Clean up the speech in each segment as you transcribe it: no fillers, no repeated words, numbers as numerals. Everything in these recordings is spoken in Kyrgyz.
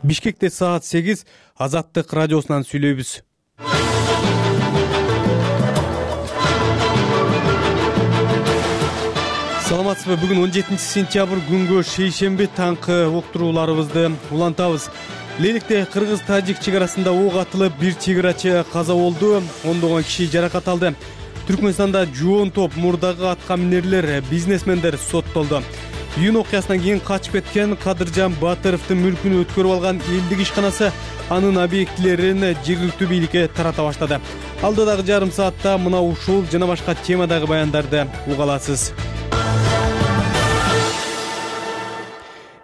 Бишкекте саат 8 Азаттык радиосунан сүйлөйбүз. Саламатсызбы? Бүгүн 17 сентябрь күнгө шейшемби таңкы уктурууларыбызды улантабыз. Леликте кыргыз-тажик чек арасында ок атылып, бир чек-арачы каза болду, ондогон киши жаракат алды. Түркмөнстанда жоон топ мурдагы атка минерлер, бизнесмендер соттолду. Июнь окуясынан кийин качып кеткен Кадыржан Батыровдун мүлкүн өткөрүп алган элдик ишканасы анын объектилерин жергиликтүү бийликке тарата баштады. Алдыдагы жарым саатта мына ушул жана башка темадагы баяндарды уга аласыз.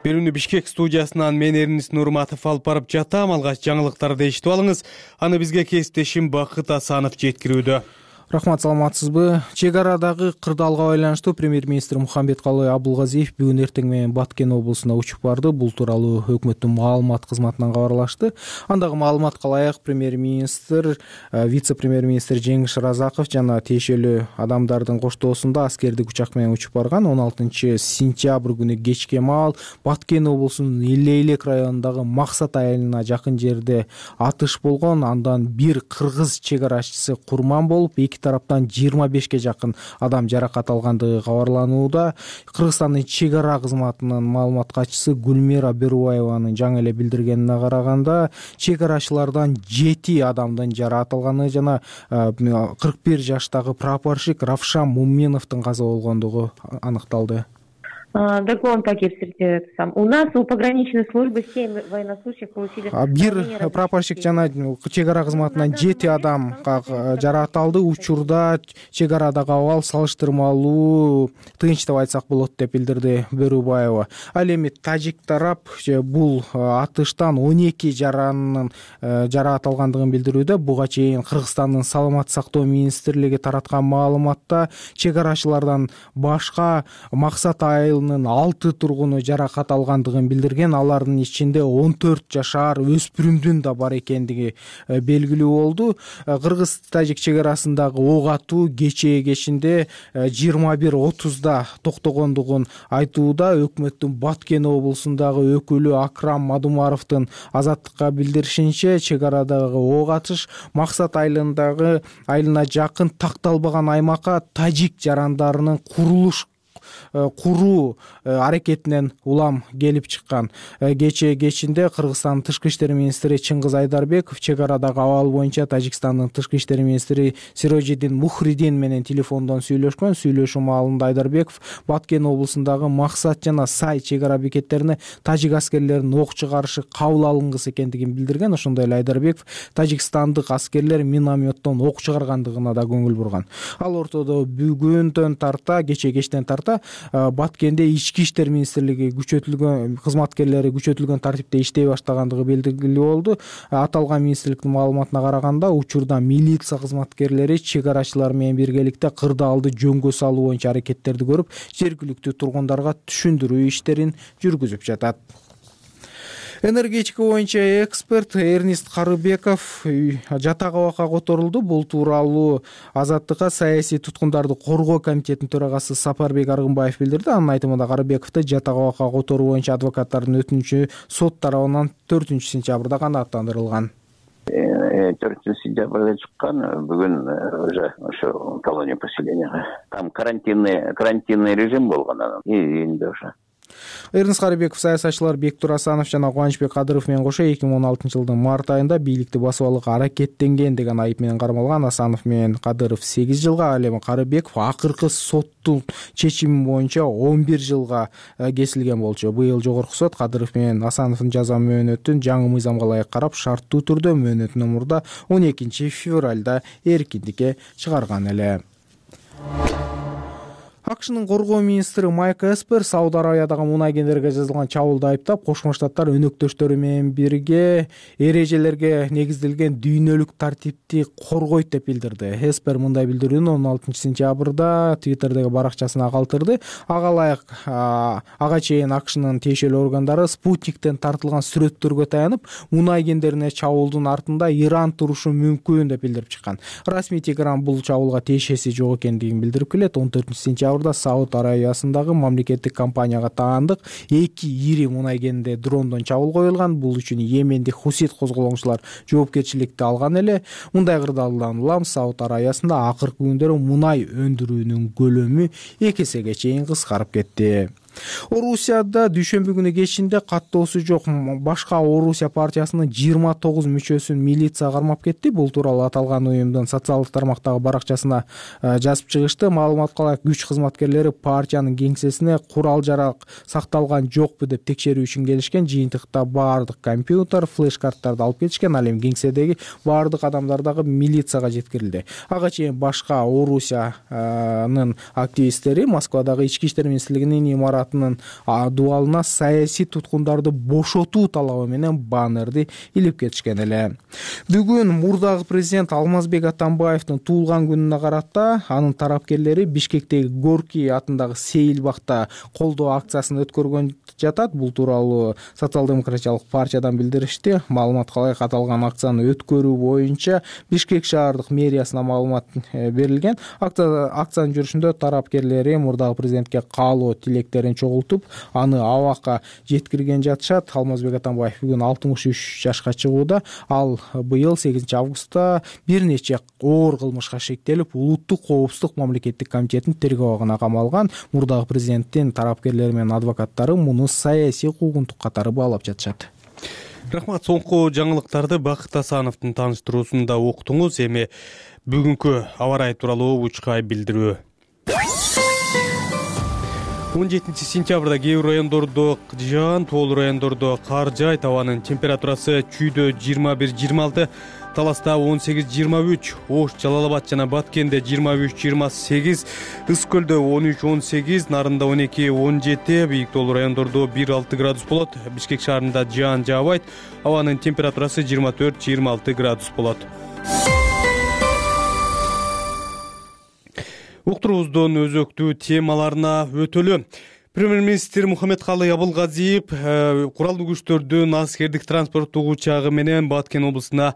Берүүнү Бишкек студиясынан мен Эрнис Нурматов алып барып жатам. Алгач жаңылыктарды эшитип алыңыз. Аны бизге кесиптешим Бакыт Асанов жеткирүүдө. Рахмат, саламатсызбы? Чек арадагы кырдаалга байланыштуу премьер-министр Мухамбеткалый Абулгазиев бүгүн эртең менен Баткен облусуна учуп барды. Бул тууралуу өкмөттүн маалымат кызматынан кабарлашты. Андагы маалыматка ылайык премьер-министр, вице-премьер-министр Жеңиш Разаков жана тиешелүү адамдардын коштоосунда аскердик учак менен учуп барган. 16 сентябрь күнү кечке маал Баткен облусунун Илейлек районундагы Максат айылына жакын жерде атыш болгон. Андан бир кыргыз чек арачысы курман болуп, тараптан 25ке жакын адам жаракат алгандыгы кабарланууда. Кыргызстандын чек ара кызматынын маалымат катчысы Гүлмира Берубаеванын жаңы эле билдиргенине караганда, чек арачылардан 7 адамдын жаракат алганы жана 41 жаштагы прапорщик Равшан Муминовдун каза болгондугу аныкталды. Доклон такие у нас у пограничной службы 7 военнослужащих получили. Бир прапорщик жана чек ара кызматынан 7 адам жаракат алды. Учурда чек арадагы абал салыштырмалуу тынч деп айтсак болот деп билдирди Берубаева. Ал эми тажик тарап бул атыштан 12 жаранын жаракат алгандыгын билдирүүдө. Буга чейин Кыргызстандын саламаттык сактоо министрлиги тараткан маалыматта чек арачылардан башка Максат айылынын 6 тургуну жаракат алгандыгын билдирген. Алардын ичинде 14 жашар өспүрүмдүн да бар экендиги белгилүү болду. Кыргыз-тажик чек арасындагы ок атуу кечинде 21:30 токтогондугун айтууда. Өкмөттүн Баткен облусундагы өкүлү Акрам Мадумаровдун Азаттыкка билдиришинче, чек арадагы ок атыш Максат айылына жакын такталбаган аймакка тажик жарандарынын куруу аракетинен улам келип чыккан. Кечинде Кыргызстандын тышкы иштер министри Чыңгыз Айдарбеков чек арадагы абал боюнча Тажикстандын тышкы иштер министри Сирожидин Мухридин менен телефондон сүйлөшкөн. Сүйлөшүү маалында Айдарбеков Баткен облусундагы Максат жана Сай чек ара бекеттерине тажик аскерлеринин ок чыгарышы кабыл алынгысы экендигин билдирген. Ошондой эле Айдарбеков тажикстандык аскерлер минометтон ок чыгаргандыгына да көңүл бурган. Ал ортодо бүгүндөн тарта, кечтен тарта Баткенде ички иштер министрлиги кызматкерлери күчөтүлгөн тартипте иштей баштагандыгы белгилүү болду. Аталган министрликтин маалыматына караганда, учурда милиция кызматкерлери чек арачылар менен биргеликте кырдаалды жөнгө салуу боюнча аракеттерди көрүп, жергиликтүү тургундарга түшүндүрүү иштерин жүргүзүп жатат. Энергетика боюнча эксперт Эрнист Карыбеков жатак абакка которулду. Бул тууралуу Азаттыкка саясий туткундарды коргоо комитетинин төрагасы Сапарбек Аргынбаев билдирди. Анын айтымында Карыбековду жатак абакка которуу боюнча адвокаттардын өтүнүчү сот тарабынан 4 сентябрда канааттандырылган. 4 сентябрда чыккан, бүгүн уже ошо колония поселенияга. Там карантинный режим болгон анан. Эми уже Эрнис Карыбеков саясатчылар Бектур Асанов жана Кубанычбек Кадыров менен кошо 2016-жылдын март айында бийликти басып алууга аракеттенген деген айып менен кармалган. Асанов менен Кадыров 8 жылга, ал эми Карыбеков акыркы соттун чечими боюнча 11 жылга кесилген болчу. Быйыл жогорку сот Кадыров менен Асановдун жаза мөөнөтүн жаңы мыйзамга ылайык карап, шарттуу түрдө мөөнөтүнөн мурда 12 февралда эркиндикке чыгарган эле. АКШнын коргоо министри Майк Эспер Сауд Арабиядагы мунай кендерге жасалган чабуулду айыптап, Кошмо Штаттар өнөктөштөрү менен бирге эрежелерге негизделген дүйнөлүк тартипти коргойт деп билдирди. Эспер мындай билдирүүнү 16 сентябрда Твиттердеги баракчасына калтырды. Ага чейин АКШнын тиешелүү органдары спутниктен тартылган сүрөттөргө таянып, мунай кендерине чабуулдун артында Иран турушу мүмкүн деп билдирип чыккан. Расмий Тегеран бул чабуулга тиешеси жок экендигин билдирип келет. 14 сентябрда сентябрда Сауд Арабиясындагы мамлекеттик компанияга таандык 2 ири мунай кенинде дрондон чабуул коюлган. Бул үчүн Йемендик хусит козголоңчулар жоопкерчиликти алган эле. Мындай кырдаалдан улам Сауд Арабиясында акыркы күндөрү мунай өндүрүүнүн көлөмү 2 эсеге чейин кыскарып кетти. Орусияда дүйшөмбү күнү кечинде каттоосу жок башка Орусия партиясынын 29 мүчөсүн милиция кармап кетти. Бул тууралуу аталган уюмдун социалдык тармактагы баракчасына жазып чыгышты. Маалыматка ылайык күч кызматкерлери партиянын кеңсесине курал-жарак сакталган жокпу деп текшерүү үчүн келишкен. Жыйынтыкта баардык компьютер, флеш-карттарды алып кетишкен. Ал эми кеңседеги баардык адамдар дагы милицияга жеткирилди. Ага чейин башка Орусиянын активисттери Москвадагы ички иштер министрлигинин имараты дубалына саясий туткундарды бошотуу талабы менен баннерди илип кетишкен эле. Бүгүн мурдагы президент Алмазбек Атамбаевдин туулган күнүнө карата анын тарапкерлери Бишкектеги Горький атындагы Сейил бакта колдоо акциясын өткөргөн жатат. Бул тууралуу социал-демократиялык партиядан билдиришти. Маалыматка ылайык аталган акцияны өткөрүү боюнча Бишкек шаардык мэриясына маалымат берилген. Акциянын жүрүшүндө тарапкерлери мурдагы президентке каалоо тилектерин чогултуп, аны абакка жеткирген жатышат. Алмазбек Атамбаев бүгүн 63 жашка чыгууда. Ал быйыл 8 августта бир нече оор кылмышка шектелип, улуттук коопсуздук мамлекеттик комитетинин тергөө абагына камалган. Мурдагы президенттин тарапкерлери менен адвокаттары муну саясий куугунтук катары баалап жатышат. Рахмат. Соңку жаңылыктарды Бакыт Асановдун тааныштыруусунда уктуңуз. Эми бүгүнкү аба ырайы тууралуу учкай билдирүү. 17 сентябрда кээ бир райондордо жаан, тоолуу райондордо кар жаайт. Абанын температурасы Чүйдө 21-26, Таласта 18-23, Ош, Жалал-Абад жана Баткенде 23-28, Ыс көлдө 13-18, Нарында 12-17, бийик тоолуу райондордо 1-6 градус болот. Бишкек шаарында жаан жаабайт. Абанын температурасы 24-26 градус болот. Уктуруубуздун өзөктүү темаларына өтөлү. Премьер-министр Мухаммедкалый Абылгазиев куралдуу күчтөрдүн аскердик транспорттук учагы менен Баткен облусуна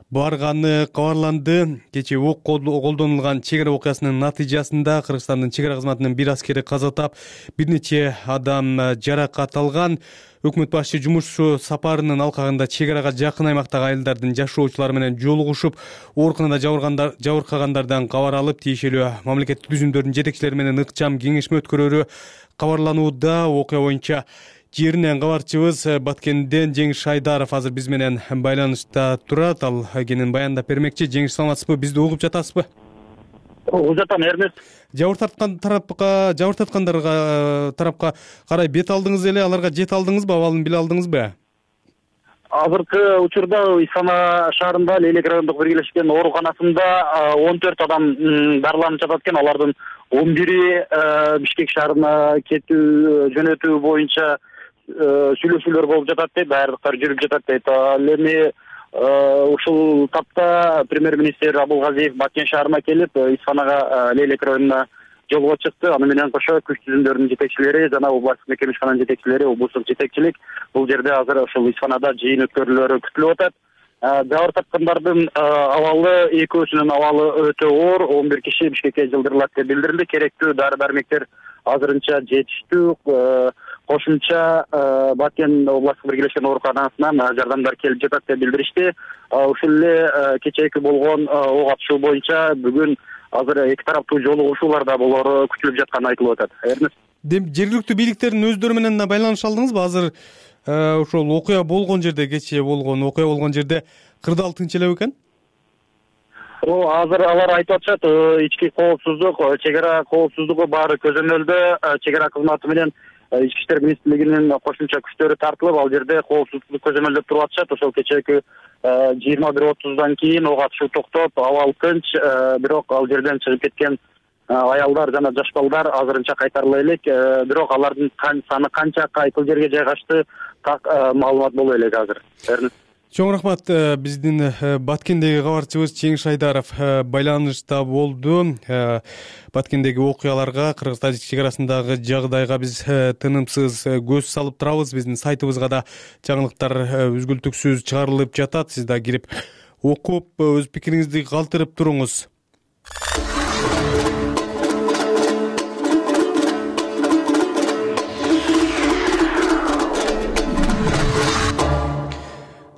барганы кабарланды. Кечээ ок колдонулган чек ара окуясынын натыйжасында Кыргызстандын чек ара кызматынын бир аскери каза тап, бир нече адам жаракат алган. Өкмөт башчы жумуш сапарынын алкагында чек арага жакын аймактагы айылдардын жашоочулары менен жолугушуп, ооруканада жабыркагандардан кабар алып, тиешелүү мамлекеттик түзүмдөрдүн жетекчилери менен ыкчам кеңешме өткөрөрү кабарланууда. Окуя боюнча жеринен кабарчыбыз Баткенден Жеңиш Айдаров азыр биз менен байланышта турат. Ал кенен баяндап бермекчи. Жеңиш, саламатсызбы? Бизди угуп жатасызбы? Угуп жатам, Эрнест. Жабыркаткандарга тарапка карай бет алдыңыз эле, аларга жете алдыңызбы, абалын биле алдыңызбы? Азыркы учурда Исана шаарында Лейлек райондук биргелешкен ооруканасында 14 адам дарыланып жатат экен. Алардын 11 Бишкек шаарына кетүү жөнөтүү боюнча сүйлөшүүлөр болуп жатат дейт, даярдыктар жүрүп жатат дейт. Ал эми ушул тапта премьер-министр Абылгазиев Баткен шаарына келип, Исанага Лейлек районуна жолго чыкты. Аны менен кошо күч түзүмдөрдүн жетекчилери жана областык мекемешкананын жетекчилери, облустук жетекчилик бул жерде азыр ушул Исанада жыйын өткөрүүлөрү күтүлүп атат. Жабыр тапкандардын абалы, экөөсүнүн абалы өтө оор. 11 киши Бишкекке жылдырылат деп билдирилди. Керектүү дары-дармектер азырынча жетиштүү. Кошумча Баткен областык биргелешкен ооруканасынан жардамдар келип жатат деп билдиришти. Ушул эле кечээки болгон ок атышуу боюнча бүгүн азыр эки тараптуу жолугушуулар да болору күтүлүп жатканы айтылып атат. Эрнест. Жергиликтүү бийликтердин өздөрү менен байланыша алдыңызбы? Азыр ошол окуя болгон жерде, кечээ болгон окуя болгон жерде кырдаал тынч эле бекен? Азыр алар айтып атышат, ички коопсуздук, чек ара коопсуздугу баары көзөмөлдө. Чек ара кызматы менен ички иштер министрлигинин кошумча күчтөрү тартылып, ал жерде коопсуздукту көзөмөлдөп туруп атышат. Ошол кечээки 21:30 кийин ок атышуу токтоп, абал тынч, бирок ал жерден чыгып кеткен аялдар жана жаш балдар азырынча кайтарыла элек. Бирок алардын саны канча кайсыл жерге жайгашты так маалымат боло элек азыр. Чоң рахмат. Биздин Баткендеги кабарчыбыз Жеңиш Айдаров байланышта болду. Баткендеги окуяларга, Кыргыз-Тажик чек арасындагы жагдайга биз тынымсыз көз салып турабыз. Биздин сайтыбызга да жаңылыктар үзгүлтүксүз чыгарылып жатат. Сиз да кирип окуп, өз пикириңизди калтырып туруңуз.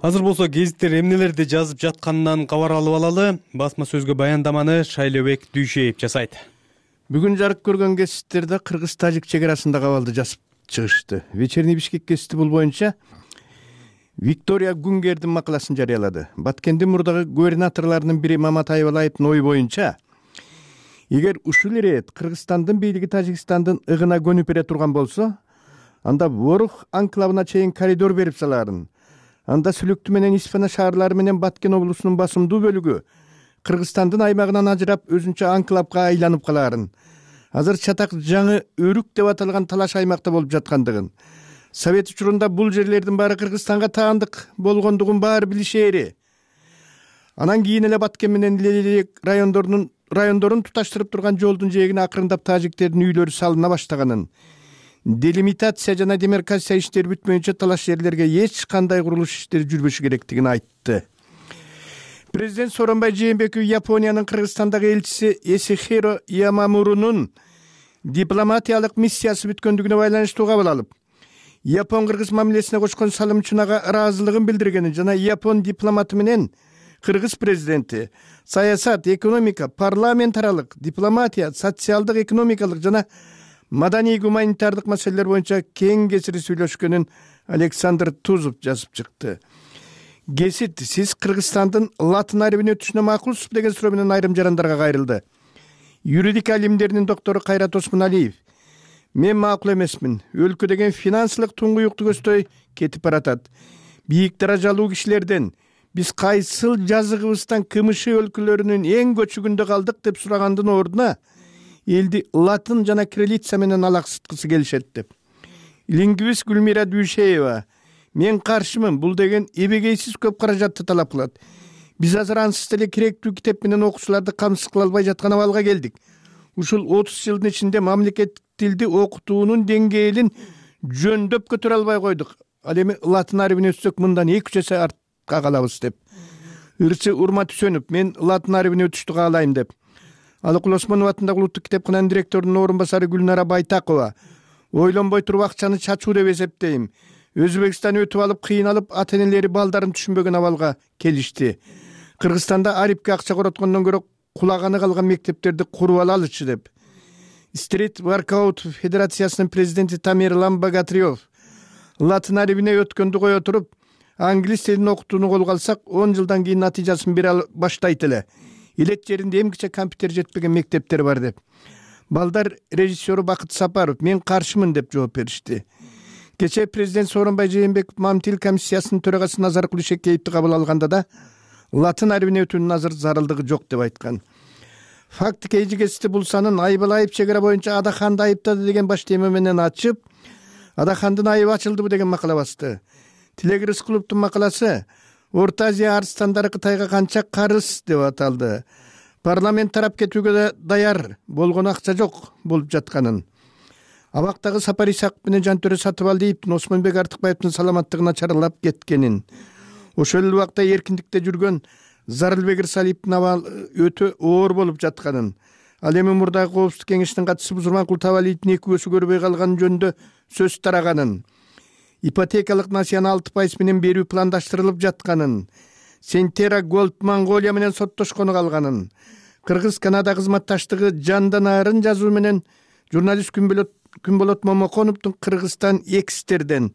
Азыр болсо гезиттер эмнелерди жазып жатканынан кабар алып алалы. Басма сөзгө баяндаманы Шайлебек Дүйшеев жасайт. Бүгүн жарык көргөн гезиттерде кыргыз-тажик чек арасындагы абалды жазып чыгышты. Вечерний Бишкек гезити бул боюнча Виктория Гунгердин макаласын жарыялады. Баткендин мурдагы губернаторлорунун бири Мамат Айбалаевдин ою боюнча, эгер ушул ирет Кыргызстандын бийлиги Тажикстандын ыгына көнүп бере турган болсо, анда Ворух анклавына чейин коридор берип салаарын. Анда Сүлөктү менен Испана шаарлары менен Баткен облусунун басымдуу бөлүгү Кыргызстандын аймагынан ажырап өзүнчө анклавга айланып калаарын. Азыр чатак жаңы өрүк деп аталган талаш аймакта болуп жаткандыгын, Совет учурунда бул жерлердин баары Кыргызстанга таандык болгондугун баары билишери. Анан кийин эле Баткен менен Лелек райондорун туташтырып турган жолдун жээгине акырындап тажиктердин үйлөрү салына баштаганын, делимитация жана демаркация иштери бүтмөйүнчө талаш жерлерге эч кандай курулуш иштери жүрбөшү керектигин айтты. Президент Сооронбай Жээнбеков Япониянын Кыргызстандагы элчиси Эсихиро Ямамурунун дипломатиялык миссиясы бүткөндүгүнө байланыштуу кабыл алып, Япон-кыргыз мамилесине кошкон салым үчүн ага ыраазылыгын билдиргенин жана Япон дипломаты менен Кыргыз президенти саясат, экономика, парламент аралык, дипломатия, социалдык, экономикалык жана маданий гуманитардык маселелер боюнча кең кесири сүйлөшкөнүн Александр Тузов жазып чыкты. Гезит сиз Кыргызстандын латын арабине өтүшүнө макулсузбу деген суроо менен айрым жарандарга кайрылды. Юридика илимдеринин доктору Кайрат Осмоналиев: мен макул эмесмин. Өлкө деген финансылык туңгуюкту көздөй кетип баратат. Бийик даражалуу кишилерден биз кайсыл жазыгыбыздан КМШ өлкөлөрүнүн эң көчүгүндө калдык деп сурагандын ордуна элди латын жана кириллица менен алаксыткысы келишет деп. Лингвист Гүлмира Дүйшеева: мен каршымын, бул деген эбегейсиз көп каражатты талап кылат. Биз азыр ансыз деле керектүү китеп менен окуучуларды камсыз кыла албай жаткан абалга келдик. Ушул 30 жылдын ичинде мамлекеттик тилди окутуунун деңгээлин жөндөп көтөрө албай койдук. Ал эми латын арабине өтсөк мындан 2 эсе артка калабыз деп. Ырчы Урмат Үсөнов: мен латын арабине өтүштү каалайм деп. Алыкул Осмонов атындагы улуттук китепкананын директорунун орун басары Гүлнара Байтакова: ойлонбой туруп акчаны чачуу деп эсептейм. Өзбекстан өтүп алып, кыйналып, ата-энелери балдарын түшүнбөгөн абалга келишти. Кыргызстанда арипке акча короткондон көрө кулаганы калган мектептерди куруп алалычы деп. Стрит Воркаут федерациясынын президенти Тамерлан Богатырев: латын арабине өткөндү кое туруп, англис тилин окутууну колго алсак, 10 жылдан кийин натыйжасын бере баштайт эле. Илет жеринде эмгиче компьютер жетпеген мектептер бар деп. Балдар режиссеру Бакыт Сапаров: мен каршымын деп жооп беришти. Кечээ президент Сооронбай Жээнбеков Мамтил комиссиясынын төрагасы Назаркул Ишекеевди кабыл алганда да латын арабине өтүүнүн азыр зарылдыгы жок деп айткан. Факт кейжигести булсанын Айбалаев чек ара боюнча Адаханды айыптады деген баш тема менен ачып, Адахандын айыбы ачылдыбы деген макала басты. Тилек Рыскуловдун макаласы Орто Азия арстандары Кытайга канча карыз деп аталды. Парламент тарап кетүүгө да даяр болгон акча жок болуп жатканын. Абактагы Сапар Исаков менен Жантөрө Сатыбалдиевдин Осмонбек Артыкбаевдин саламаттыгына чаралап кеткенин, ошол эле убакта эркиндикте жүргөн Зарылбек Ырсалиевдин абалы өтө оор болуп жатканын, ал эми мурдагы Коопсуздук кеңешинин катчысы Бузурманкул Табалиевдин 2 көзү көрбөй калган жөнүндө сөз тараганын, ипотекалык насыяны 6% менен берүү пландаштырылып жатканын, Сентера Голд Монголия менен соттошкону калганын, Кыргыз Канада кызматташтыгы жанданарын жазуу менен журналист Күнболот Момоконовдун Кыргызстан экстерден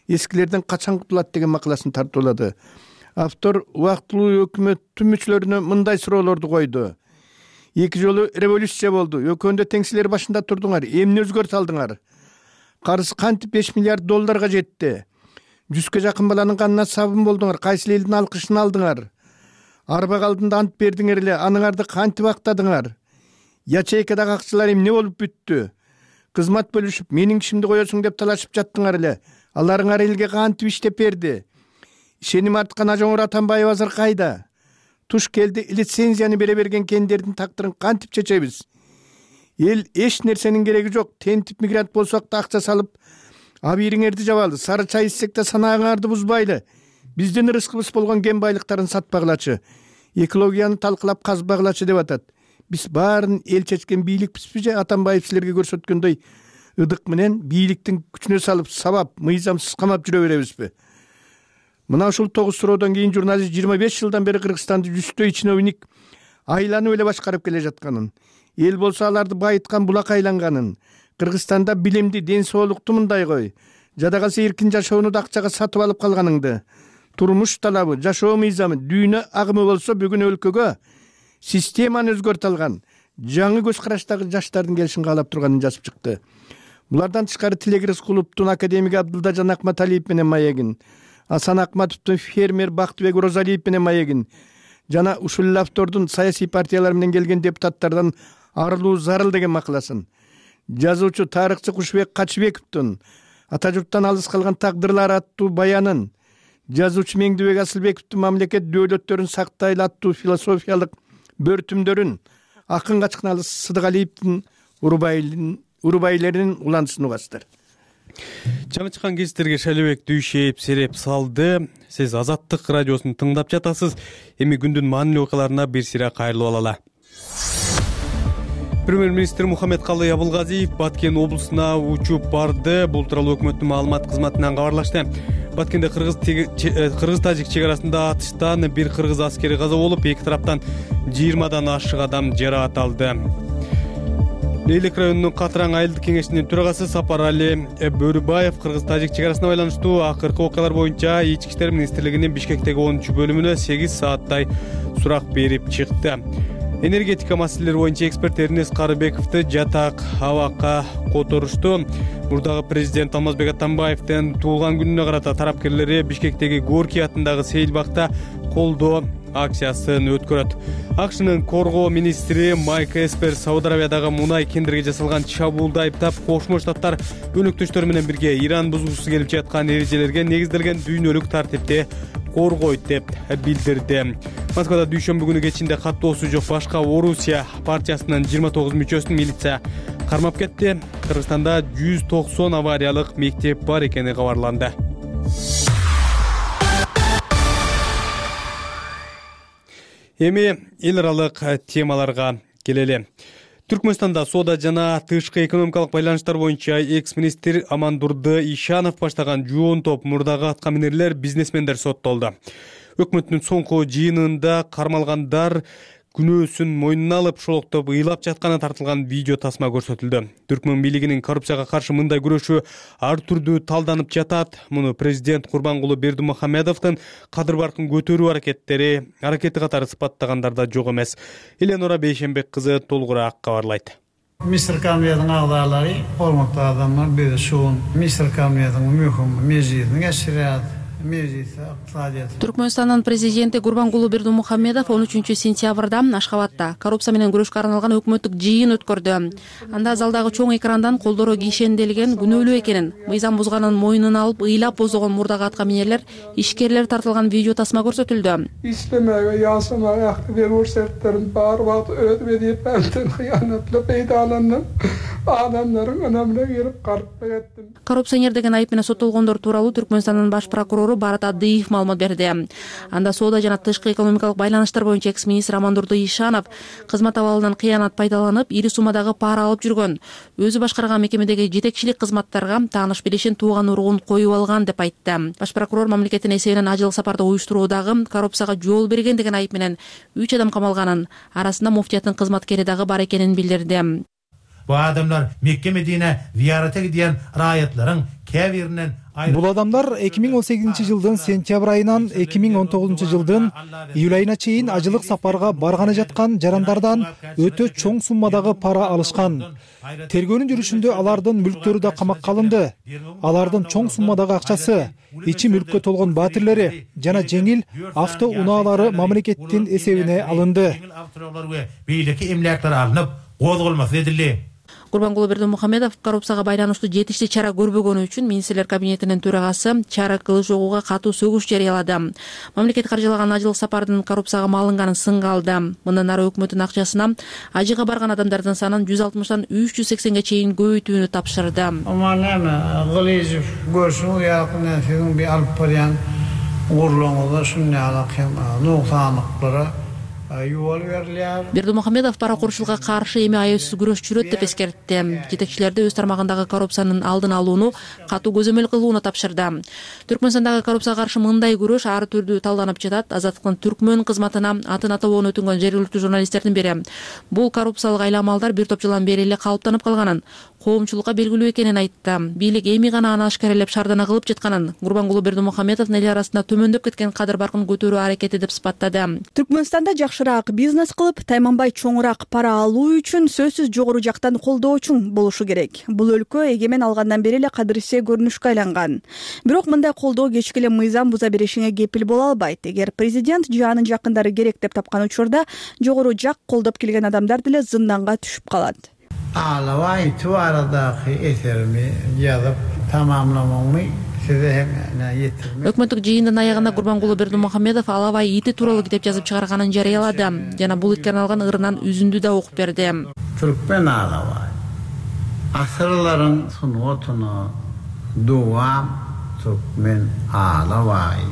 эскилерден качан кутулат деген макаласын тартуулады. Автор убактылуу өкмөттүн мүчөлөрүнө мындай суроолорду койду. 2 жолу революция болду. Өкөндө теңсилер башында турдуңар. Эмне өзгөртө алдыңар? Карыз кантип 5 миллиард долларга жетти? 100га жакын баланын канына сабын болдуңар. Кайсы элдин алкышын алдыңар? Арба алдында ант бердиңер эле, аныңарды кантип актадыңар? Ячейкадагы акчалар эмне болуп бүттү? Кызмат бөлүшүп, менин кишимди коесуң деп талашып жаттыңар эле. Аларыңар элге кантип иштеп берди? Ишеним арткан Ажоңур Атамбаев азыр кайда? Туш келди, лицензияны бере берген кендердин тактырын кантип чечебиз? Эл эч нерсенин кереги жок. Тентип мигрант болсок да акча салып, абийириңерди жабалы. Сары чай ичсек да санаагыңарды бузбайлы. Биздин ырыскыбыз болгон кен байлыктарын сатпагылачы. Экологияны талкылап казбагылачы деп атат. Биз баарын эл чечкен бийликпизби же Атамбаев силерге көрсөткөндөй ыдык менен бийликтин күчүнө салып, сабап, мыйзамсыз камап жүрө беребизби? Мына ушул 9 суроодон кийин журналист 25 жылдан бери Кыргызстанды жүздөй чиновник айланып эле башкарып келе жатканын, эл болсо аларды байыткан булак айланганын, Кыргызстанда билимди, ден соолукту мындай кой, жада калса эркин жашоону да акчага сатып алып калганыңды, турмуш талабы, жашоо мыйзамы, дүйнө агымы болсо бүгүн өлкөгө системаны өзгөртө алган жаңы көз караштагы жаштардын келишин каалап турганын жазып чыкты. Булардан тышкары Тилек Рыскуловдун, академик Абдылдажан Акматалиев менен маегин, Асан Акматовдун, фермер Бактыбек Розалиев менен маегин жана ушул эле автордун саясий партиялар менен келген депутаттардан арылуу зарыл деген макаласын, жазуучу тарыхчы Кушбек Качыбековдун ата журттан алыс калган тагдырлар аттуу баянын, жазуучу Меңдибек Асылбековдун мамлекет дөөлөттөрүн сактайлы аттуу философиялык бөртүмдөрүн, акын Качкыналы Сыдыгалиевдин урубайлеринин улантысын угасыздар. Жаңы чыккан кестерге Шайлебек Дүйшеев сереп салды. Сиз Азаттык радиосун тыңдап жатасыз. Эми күндүн маанилүү окуяларына бир сыйра кайрылып алалы. Премьер-министр Мухаммедкалый Абылгазиев Баткен облусуна учуп барды. Бул тууралуу өкмөттүн маалымат кызматынан кабарлашты. Баткенде кыргыз-тажик чек арасында атыштан бир кыргыз аскери каза болуп, эки тараптан 20дан ашык адам жаракат алды. Лейлик районунун Катыраң айылдык кеңешинин төрагасы Сапарали Бөрүбаев кыргыз-тажик чек арасына байланыштуу акыркы окуялар боюнча Ички иштер министрлигинин Бишкектеги 10-бөлүмүнө 8 сааттай сурак берип чыкты. Энергетика маселелери боюнча эксперт Эрнес Карыбековду жатак абакка которушту. Мурдагы президент Алмазбек Атамбаевдин туулган күнүнө карата тарапкерлери Бишкектеги Горький атындагы сейилбакта колдоо акциясын өткөрөт. АКШнын коргоо министри Майк Эспер Сауд Аравиядагы мунай кендирге жасалган чабуулду айыптап, Кошмо Штаттар өнөктөштөрү менен бирге Иран бузгусу келип жаткан эрежелерге негизделген дүйнөлүк тартипти коргойт деп билдирди. Москвада дүйшөмбү күнү кечинде каттоосу жок башка Орусия партиясынын 29 мүчөсүн милиция кармап кетти. Кыргызстанда 190 авариялык мектеп бар экени кабарланды. Эми эл аралык темаларга келели. Түркмөнстанда соода жана тышкы экономикалык байланыштар боюнча экс-министр Амандурды Ишанов баштаган жоон топ мурдагы аткаминерлер, бизнесмендер соттолду. Өкмөттүн соңку жыйынында кармалгандар күнөөсүн мойнуна алып, шолоктоп ыйлап жатканы тартылган видео тасма көрсөтүлдү. Түркмөн бийлигинин коррупцияга каршы мындай күрөшү ар түрдүү талданып жатат. Муну президент Курбангулы Бердимухамедовдун кадыр баркын көтөрүү аракети катары сыпаттагандар да жок эмес. Эленора Бейшембек кызы толугураак кабарлайт. Мистер Камедин агдайлары, hormatly адамдар, бир шуун Мистер Камедин мөһим мезгилин эсирет. Түркмөнстандын президенти Гурбангулы Бердимухамедов 13-сентябрда Ашхабадда коррупция менен күрөшкө арналган өкмөттүк жыйын өткөрдү. Анда залдагы чоң экрандан колдору кишенделген күнөөлүү экенин, мыйзам бузганын мойнуна алып ыйлап боздогон мурдагы аткаминерлер, ишкерлер тартылган видео тасма көрсөтүлдү. İşlemeye, yasamaya, aktiveri orsetlerin barbat ödmediği benden hıyanatlı peydalandım. Adamların önemine gelip karıp ettim. Коррупционер деген айып менен соттолгондор тууралуу Түркмөнстандын баш прокурору Барат Адыев маалымат берди. Анда соода жана тышкы экономикалык байланыштар боюнча экс-министр Амандурды Ишанов кызмат абалынан кыянат пайдаланып, ири суммадагы пара алып жүргөн. Өзү башкарган мекемедеги жетекчилик кызматтарга тааныш билишин, тууган уругун коюп алган деп айтты. Баш прокурор мамлекеттин эсебинен ажыл сапарды уюштуруудагы коррупцияга жол берген деген айып менен 3 адам камалганын, арасында муфтияттын кызматкери дагы бар экенин билдирди. Bu adamlar Mekke Medine ziyarete giden raiyetlerin kevirinden Бул адамдар 2018 жылдын сентябрь айынан 2019 жылдын июль айына чейин ажылык сапарга барганы жаткан жарандардан өтө чоң суммадагы пара алышкан. Тергөөнүн жүрүшүндө алардын мүлктөрү да камакка алынды. Алардын чоң суммадагы акчасы, ичи мүлккө толгон батирлери жана жеңил авто унаалары мамлекеттин эсебине алынды. Гурбангулы Бердимухамедов коррупцияга байланыштуу жетиштүү чара көрбөгөнү үчүн министрлер кабинетинин төрагасы Чара Кылычогууга катуу сөгүш жарыялады. Мамлекет каржылаган ажылык сапардын коррупцияга малынганын сынга алды. Мындан ары өкмөттүн акчасына ажыга барган адамдардын санын 160тан 380ге чейин көбөйтүүнү тапшырды. Гылыжов көрсүң якын фильм алып барган урлоңда шундайлык нуктаныктары Бердымухамедов паракурчулукка каршы эми аяусuz күрөш жүрөт деп эскертти. Жетекчилерди өз тармагындагы коррупциянын алдын алууну катуу көзөмөл кылууну тапшырды. Түркмөнстандагы коррупцияга каршы мындай күрөш ар түрдүү талданып жатат. Азаттыктын Түркмөн кызматына атын атабоон өтүнгөн жергиликтүү журналисттердин бири бул коррупциялык айламалдар бир топ жылдан бери эле калыптанып калганын, коомчулукка белгилүү экенин айтты. Бийлик эми гана аны ашкаралеп шаардана кылып жатканын, Гурбангулы Бердымухамедовдун эл арасында төмөндөп кеткен кадыр баркын көтөрүү аракети деп сыпаттады. Түркмөнстанда жакшыраак бизнес кылып, тайманбай чоңураак пара алуу үчүн сөзсүз жогору жактан колдоочуң болушу керек. Бул өлкө эгемен алгандан бери эле кадырсе көрүнүшкө айланган. Бирок мындай колдоо кечке эле мыйзам буза беришиңе кепил боло албайт. Эгер президент же анын жакындары керек деп тапкан учурда жогору жак колдоп келген адамдар деле зынданга түшүп калат. Ağlavay tuvaradaki eserimi yazıp tamamlamamı size hemen getirmek. Өкмөттүк жыйындын аягында Гурбангулы Бердымухамедов Алавай ити тууралуу китеп жазып чыгарганын жарыялады. Жана бул иттен алган ырынан үзүндү да окуп берди. Türkmen Ağlavay. Asırların sunutunu duam Türkmen Ağlavay.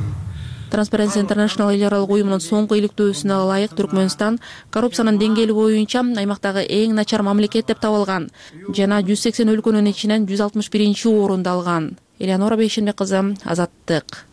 Transparency International эл аралык уюмунун соңку иликтөөсүнө ылайык Түркмөнстан коррупциянын деңгээли боюнча аймактагы эң начар мамлекет деп табылган жана 180 өлкөнүн ичинен 161-орунду алган. Элеонора Бейшенбек кызы, Азаттык.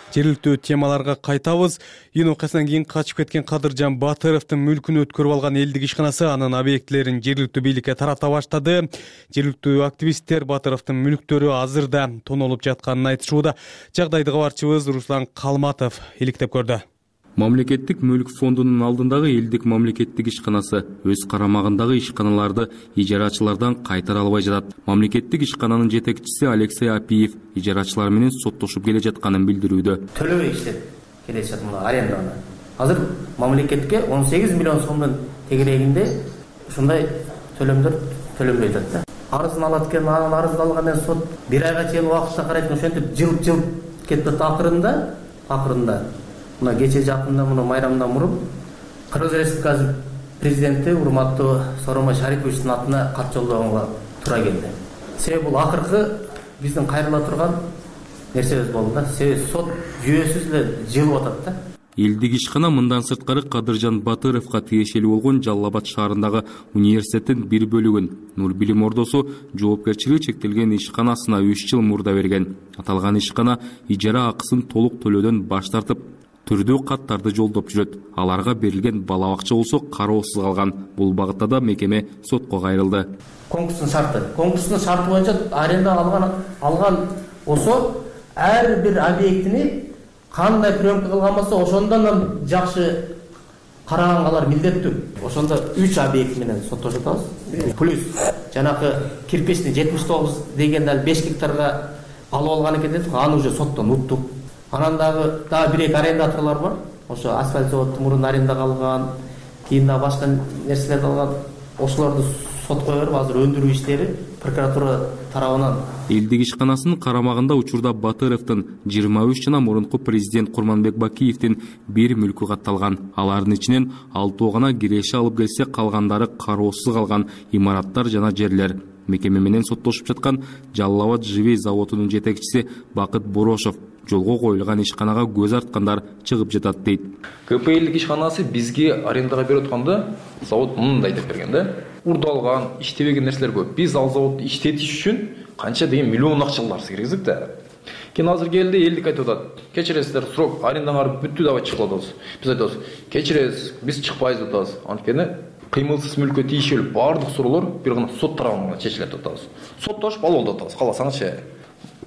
Жергиликтүү темаларга кайтабыз. Июнь окуясынан кийин качып кеткен Кадыржан Батыровдун мүлкүн өткөрүп алган элдик ишканасы анын объектилерин жергиликтүү бийликке тарата баштады. Жергиликтүү активисттер Батыровдун мүлктөрү азырда тонолуп жатканын айтышууда. Жагдайды кабарчыбыз Руслан Калматов иликтеп көрдү. Мамлекеттик мүлк фондунун алдындагы элдик мамлекеттик ишканасы өз карамагындагы ишканаларды ижарачылардан кайтара албай жатат. Мамлекеттик ишкананын жетекчиси Алексей Апиев ижарачылар менен соттошуп келе жатканын билдирүүдө. Төлөбөй иштеп келе жатат мына аренданы. Азыр мамлекетке 18 миллион сомдун тегерегинде ушундай төлөмдөр төлөнбөй жатат да. Арызын алат экен, анын арызын алгандан сот 1 айга чейин убакытта карайт, ошентип жылып кетти. Акырында мына кече жакында муну майрамдан мурун Кыргыз Республикасы президенти урматтуу Сооронбай Шариповичтин атына кат жолдогонго туура келди. Себеби бул акыркы биздин кайрыла турган нерсебиз болду да. Себеби сот жүйөсүз эле жылып атат да. Элдик ишкана мындан сырткары Кадыржан Батыровго тиешелүү болгон Жалал Абад шаарындагы университеттин бир бөлүгүн Нур Билим Ордосу жоопкерчилиги чектелген ишканасына 3 жыл мурда берген. Аталган ишкана ижара акысын толук төлөөдөн баш тартып, түрдүү каттарды жолдоп жүрөт. Аларга берилген бала акча болсо кароосуз калган. Бул багытта да мекеме сотко кайрылды. Конкурстун шарты боюнча аренда алган болсо ар бир объектини кандай приемка кылган болсо ошондон жакшы карагангалар милдеттүү. Ошондо 3 объект менен соттошуп атабыз. Плюс жанакы кирпичный 79 деген дал 5 гектарга алып алган экен дедик, аны уже соттон уттук. Анан дагы 1-2 арендаторлор бар. Ошо асфальт заводтун мурун арендага алган, кийин да башка нерселерди алган. Ошолорду сотко берип, азыр өндүрүү иштери прокуратура тарабынан. Элдик ишканасынын карамагында учурда Батыровдун 23 жана мурунку президент Курманбек Бакиевдин бир мүлкү катталган. Алардын ичинен 6 гана киреше алып келсе, калгандары кароосуз калган имараттар жана жерлер. Мекеме менен соттошуп жаткан Жалал Абад Живей заводунун жетекчиси Бакыт Борошов жолго коюлган ишканага көз арткандар чыгып жатат дейт. КПЛдик ишканасы бизге арендага берип атканда завод мындай деп берген да. Урдалган, иштебеген нерселер көп. Биз ал заводду иштетиш үчүн канча деген миллион акчалар киргиздик да. Кийин азыр келди, элдик айтып атат. Кечиресиздер, срок арендаңар бүттү деп чыгып атабыз. Биз айтабыз, кечиресиз, биз чыкпайбыз деп атабыз. Анткени кыймылсыз мүлккө тийишелүү баардык суроолор бир гана сот тарабынан чечилет деп атабыз. Соттошуп алып деп атабыз. Каласаңызчы.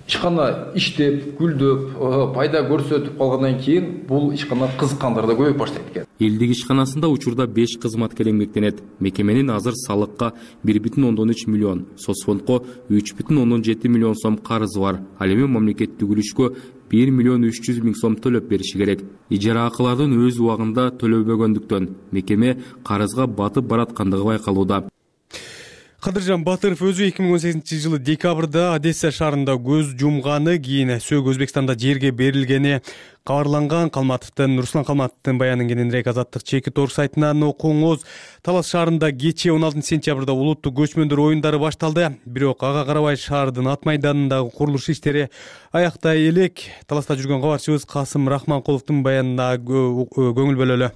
Ишкана иштеп, гүлдөп, пайда көрсөтүп калгандан кийин бул ишкана кызыккандар да көбөйүп баштайт экен. Элдик ишканасында учурда 5 кызматкер эмгектенет. Мекеменин азыр салыкка 1,3 миллион, соцфондко 3,7 миллион сом карызы бар. Ал эми мамлекеттик үлүшкө 1 миллион 300 миң сом төлөп бериши керек. Ижара акылардын өз убагында төлөбөгөндүктөн мекеме карызга батып бараткандыгы байкалууда. Кадыржан Батыров өзү 2018-жылы декабрда Одесса шаарында көз жумганы, кийин сөөгү Өзбекстанда жерге берилгени кабарланган. Руслан Калматовдун баянын кененирээк Азаттык чеки торг сайтынан окуңуз. Талас шаарында кечээ 16 сентябрда улуттук көчмөндөр оюндары башталды. Бирок ага карабай шаардын ат майданындагы курулуш иштери аяктай элек. Таласта жүргөн кабарчыбыз Касым Рахманкуловдун баянына көңүл бөлөлү.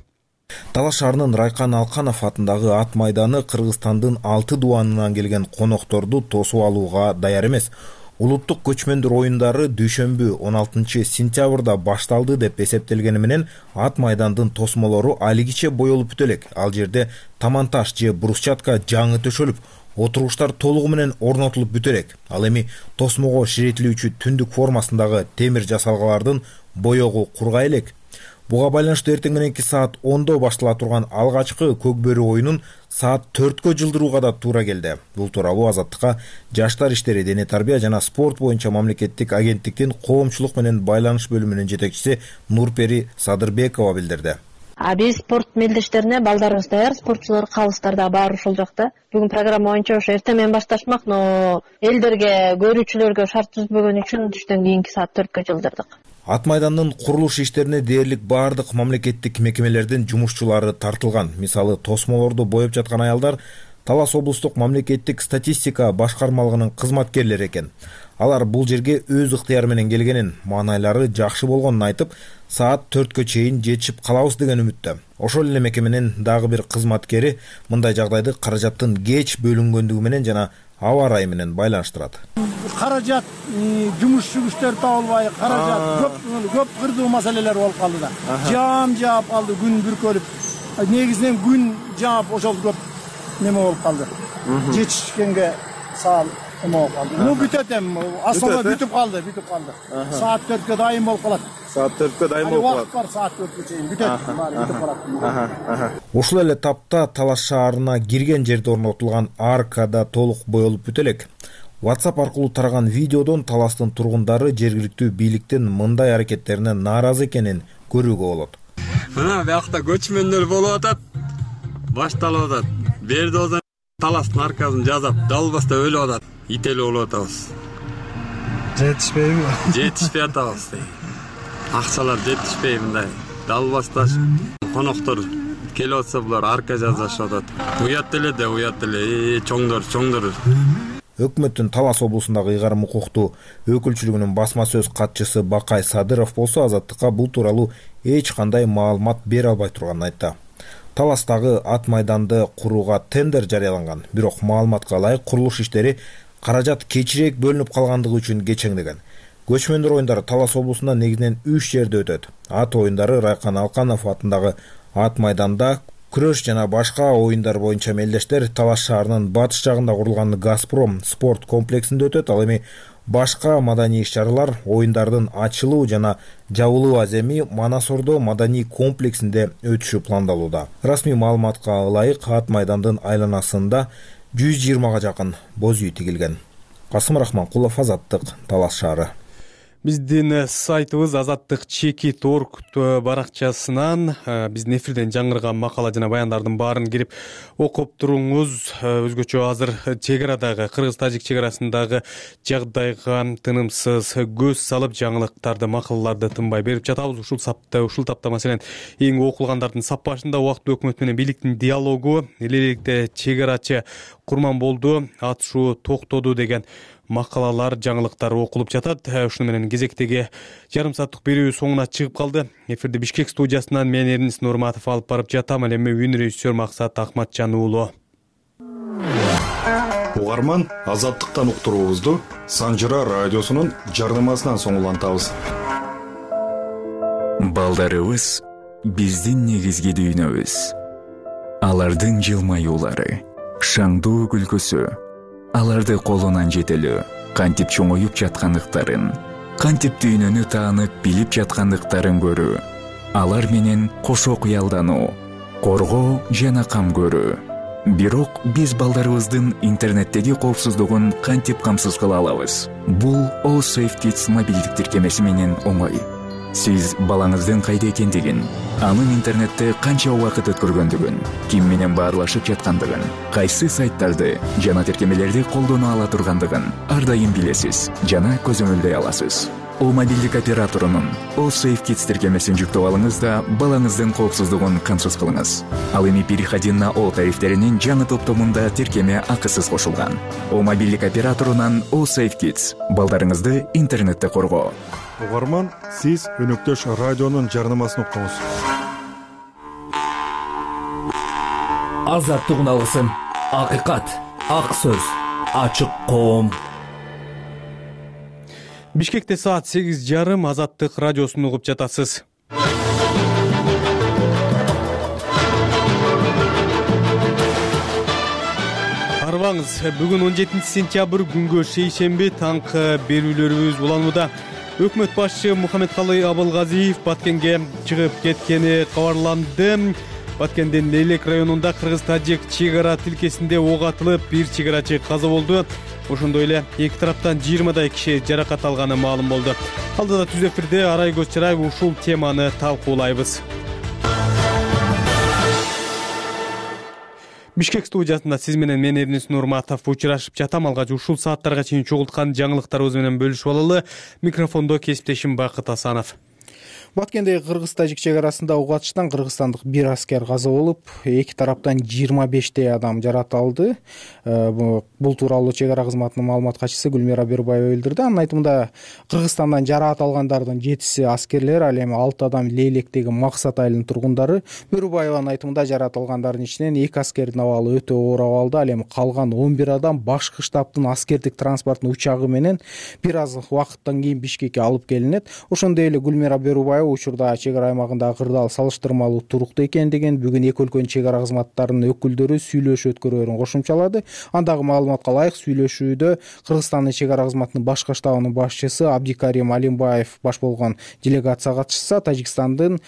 Талас шаарынын Райкан Алканов атындагы ат майданы Кыргызстандын 6 дубанынан келген конокторду тосуп алууга даяр эмес. Улуттук көчмөндөр оюндары дүйшөмбү 16 сентябрда башталды деп эсептелгени менен ат майдандын тосмолору алигиче боелуп бүтө элек. Ал жерде таманташ же брусчатка жаңы төшөлүп, отургучтар толугу менен орнотулуп бүтө элек. Ал эми тосмого ширетилүүчү түндүк формасындагы темир жасалгалардын боегу кургай элек. Буга байланыштуу эртең мененки саат 10-до баштала турган алгачкы көк бөрү оюнун саат 4-кө жылдырууга да туура келди. Бул тууралуу Азаттыкка Жаштар иштери, дене тарбия жана спорт боюнча мамлекеттик агенттиктин коомчулук менен байланыш бөлүмүнүн жетекчиси Нурпери Садырбекова билдирди. Биз спорт мелдештерине балдарыбыз даяр, спортчулар, калыстар да баары ушул жакта. Бүгүн программа боюнча ошо эртең менен башташмак, но элдерге, көрүүчүлөргө шарт түзбөгөн үчүн түштөн кийинки саат 4кө жылдырдык. Ат майдандын курулуш иштерине дээрлик баардык мамлекеттик мекемелердин жумушчулары тартылган. Мисалы, тосмолорду боеп жаткан аялдар Талас облустук мамлекеттик статистика башкармалыгынын кызматкерлери экен. Алар бул жерге өз ыктыяры менен келгенин, маанайлары жакшы болгонун айтып, саат 4кө чейин жетишип калабыз деген үмүттө. Ошол эле мекеменин дагы бир кызматкери мындай жагдайды каражаттын кеч бөлүнгөндүгү менен жана аба ырайы менен байланыштырат. Каражат, жумушчу күчтөр табылбай, каражат көп кырдуу маселелер болуп калды да. Жаам жаап калды, күн бүркөлүп. Негизинен күн жаап ошол көп неме болуп калды. Жетишкенге саал эме болуп калды. Ну бүтөт эми, асфальт бүтүп калды. Саат 4кө дайым болуп калат. Саат 4кө дайым болуп калат. Убакыт бар, саат 4кө чейин бүтөт, бүтүп калат. Ушул эле тапта Талас шаарына кирген жерде орнотулган арка да толук боелуп бүтө элек. WhatsApp аркылуу тараган видеодон Таластын тургундары жергиликтүү бийликтин мындай аракеттерине нааразы экенин көрүүгө болот. Мына биякта көчмөндөр болуп атат, башталып атат. Берде болсо Таластын аркасын жазап, далбаста өлүп атат, ителүү болуп атабыз. Жетишпейби? Жетишпей атабыз. Акчалар жетишпей мындай. Далбаста коноктор келип атса булар арка жазышып атат. Уят эле, чоңдор. Өкмөттүн Талас облусундагы ыйгарым укуктуу өкүлчүлүгүнүн басма сөз катчысы Бакай Садыров болсо Азаттыкка бул тууралуу эч кандай маалымат бере албай турганын айтты. Таластагы ат майданды курууга тендер жарыяланган, бирок маалыматка ылайык курулуш иштери каражат кечирээк бөлүнүп калгандыгы үчүн кечеңдеген. Көчмөндөр оюндары Талас облусунда негизинен 3 жерде өтөт. Ат оюндары Райкан Алканов атындагы ат майданда, күрөш жана башка оюндар боюнча мелдештер Талас шаарынын батыш жагында курулган Газпром спорт комплексинде өтөт. Ал эми башка маданий иш-чаралар оюндардын ачылуу жана жабылуу аземи Манасордо маданий комплексинде өтүшү пландалууда. Расмий маалыматка ылайык ат майдандын айланасында 120га жакын боз үй тигилген. Касым Рахманкулов, Азаттык, Талас шаары. Биздин сайтыбыз Азаттык чеки торг баракчасынан биздин эфирден жаңырган макала жана баяндардын баарын кирип окуп туруңуз. Өзгөчө азыр чек арадагы Кыргыз-Тажик чек арасындагы жагдайга тынымсыз көз салып жаңылыктарды, макалаларды тынбай берип жатабыз. Ушул тапта маселен эң окулгандардын сап башында убактылуу өкмөт менен бийликтин диалогу, элеликте чек арачы Курманболду атышуу токтоду деген макалалар, жаңылыктар окулуп жатат. Ушуну менен кезектеги жарым сааттык берүү соңуна чыгып калды. Эфирди Бишкек студиясынан мен Эрнис Нурматов алып барып жатам. Ал эми үн режиссер Максат Акматжан уулу. Угарман, Азаттыктан уктуруубузду Санжыра радиосунун жарнамасынан соң улантабыз. Балдарыбыз биздин негизги дүйнөбүз. Алардын жылмаюулары, шаңдуу күлкүсү, аларды колунан жетелөө, кантип чоңоюп жаткандыктарын, кантип дүйнөнү таанып билип жаткандыктарын көрүү, алар менен кошо кыялдануу, коргоо жана кам көрүү. Бирок биз балдарыбыздын интернеттеги коопсуздугун кантип камсыз кыла алабыз? Бул All Safe Kids мобилдик тиркемеси менен оңой. Сиз балаңыздын кайда экендигин, анын интернетте канча убакыт өткөргөндүгүн, ким менен баарлашып жаткандыгын, кайсы сайттарды жана тиркемелерди колдоно ала тургандыгын ар дайым билесиз жана көзөмөлдөй аласыз. О мобилдик операторунун О Safe Kids тиркемесин жүктөп алыңыз да балаңыздын коопсуздугун камсыз кылыңыз. Ал эми переходин на О тарифтеринин жаңы топтомунда тиркеме акысыз кошулган. О мобилдик операторунан О Safe Kids балдарыңызды интернетте коргоо. Угарман, сиз өнөктөш радионун жарнамасын уктуңуз. Азаттык алгысын, акыйкат, ак сөз, ачык коом. Бишкекте саат 8:30 Азаттык радиосун угуп жатасыз. Арбаңыз, бүгүн 17-сентябрь күнгө шейшемби таңкы берүүлөрүбүз уланууда. Өкмөт башчы Мухаммедкалый Абылгазиев Баткенге чыгып кеткени кабарланды. Баткендин Лейлек районунда кыргыз-тажик чек ара тилкесинде ок атылып, бир чек-арачы каза болду. Ошондой эле эки тараптан 20дай киши жаракат алганы маалым болду. Алдыда түз эфирде Арай Көччараев ушул теманы талкуулайбыз. Бишкек студиясында сиз менен мен Эрнис Нурматов учурашып жатам. Алгач ушул сааттарга чейин чогулткан жаңылыктарыбыз менен бөлүшүп алалы. Микрофондо кесиптешим Бакыт Асанов. Баткендеги кыргыз-тажик чек арасында ок атыштан кыргызстандык бир аскер каза болуп, эки тараптан 25 адам жаракат алды. Бул тууралуу чек ара кызматынын маалымат катчысы Гүлмира Бербаева билдирди. Анын айтымында Кыргызстандан жаракат алгандардын 7си аскерлер, ал эми 6 адам Лейлектеги Максат айылынын тургундары. Бербаеванын айтымында жаракат алгандардын ичинен 2 аскердин абалы өтө оор абалда, ал эми калган 11 адам башкы штабтын аскердик транспорттун учагы менен бир аз убакыттан кийин Бишкекке алып келинет. Ошондой эле Гүлмира Бербаева учурда чек ара аймагындагы кырдаал салыштырмалуу туруктуу экендигин, бүгүн эки өлкөнүн чек ара кызматтарынын өкүлдөрү сүйлөшүү өткөрөөрүн кошумчалады. Андагы маалыматка ылайык сүйлөшүүдө Кыргызстандын чек ара кызматынын башкы штабынын башчысы Абдикарим Алимбаев баш болгон делегация катышса, Тажикстандын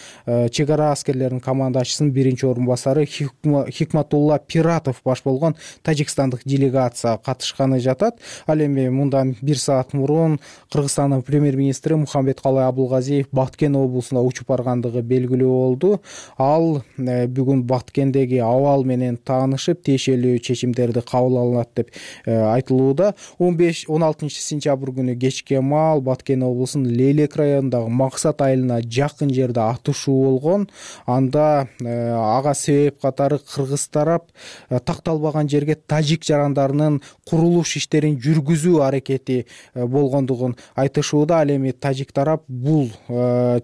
чек ара аскерлеринин командачысынын биринчи орун басары Хикматулла Пиратов баш болгон тажикстандык делегация катышканы жатат. Ал эми мындан 1 саат мурун Кыргызстандын премьер-министри Мухаммедкалый Абылгазиев Баткен облусуна учуп баргандыгы белгилүү болду. Ал бүгүн Баткендеги абал менен таанышып, тиешелүү чечимдерди кабыл алат деп айтылууда. 15-16 сентябрь күнү кечке маал Баткен облусунун Лейлек районундагы Максат айылына жакын жерде атышуу болгон. Анда ага себеп катары кыргыз тарап такталбаган жерге тажик жарандарынын курулуш иштерин жүргүзүү аракети болгондугун айтышууда. Ал эми тажик тарап бул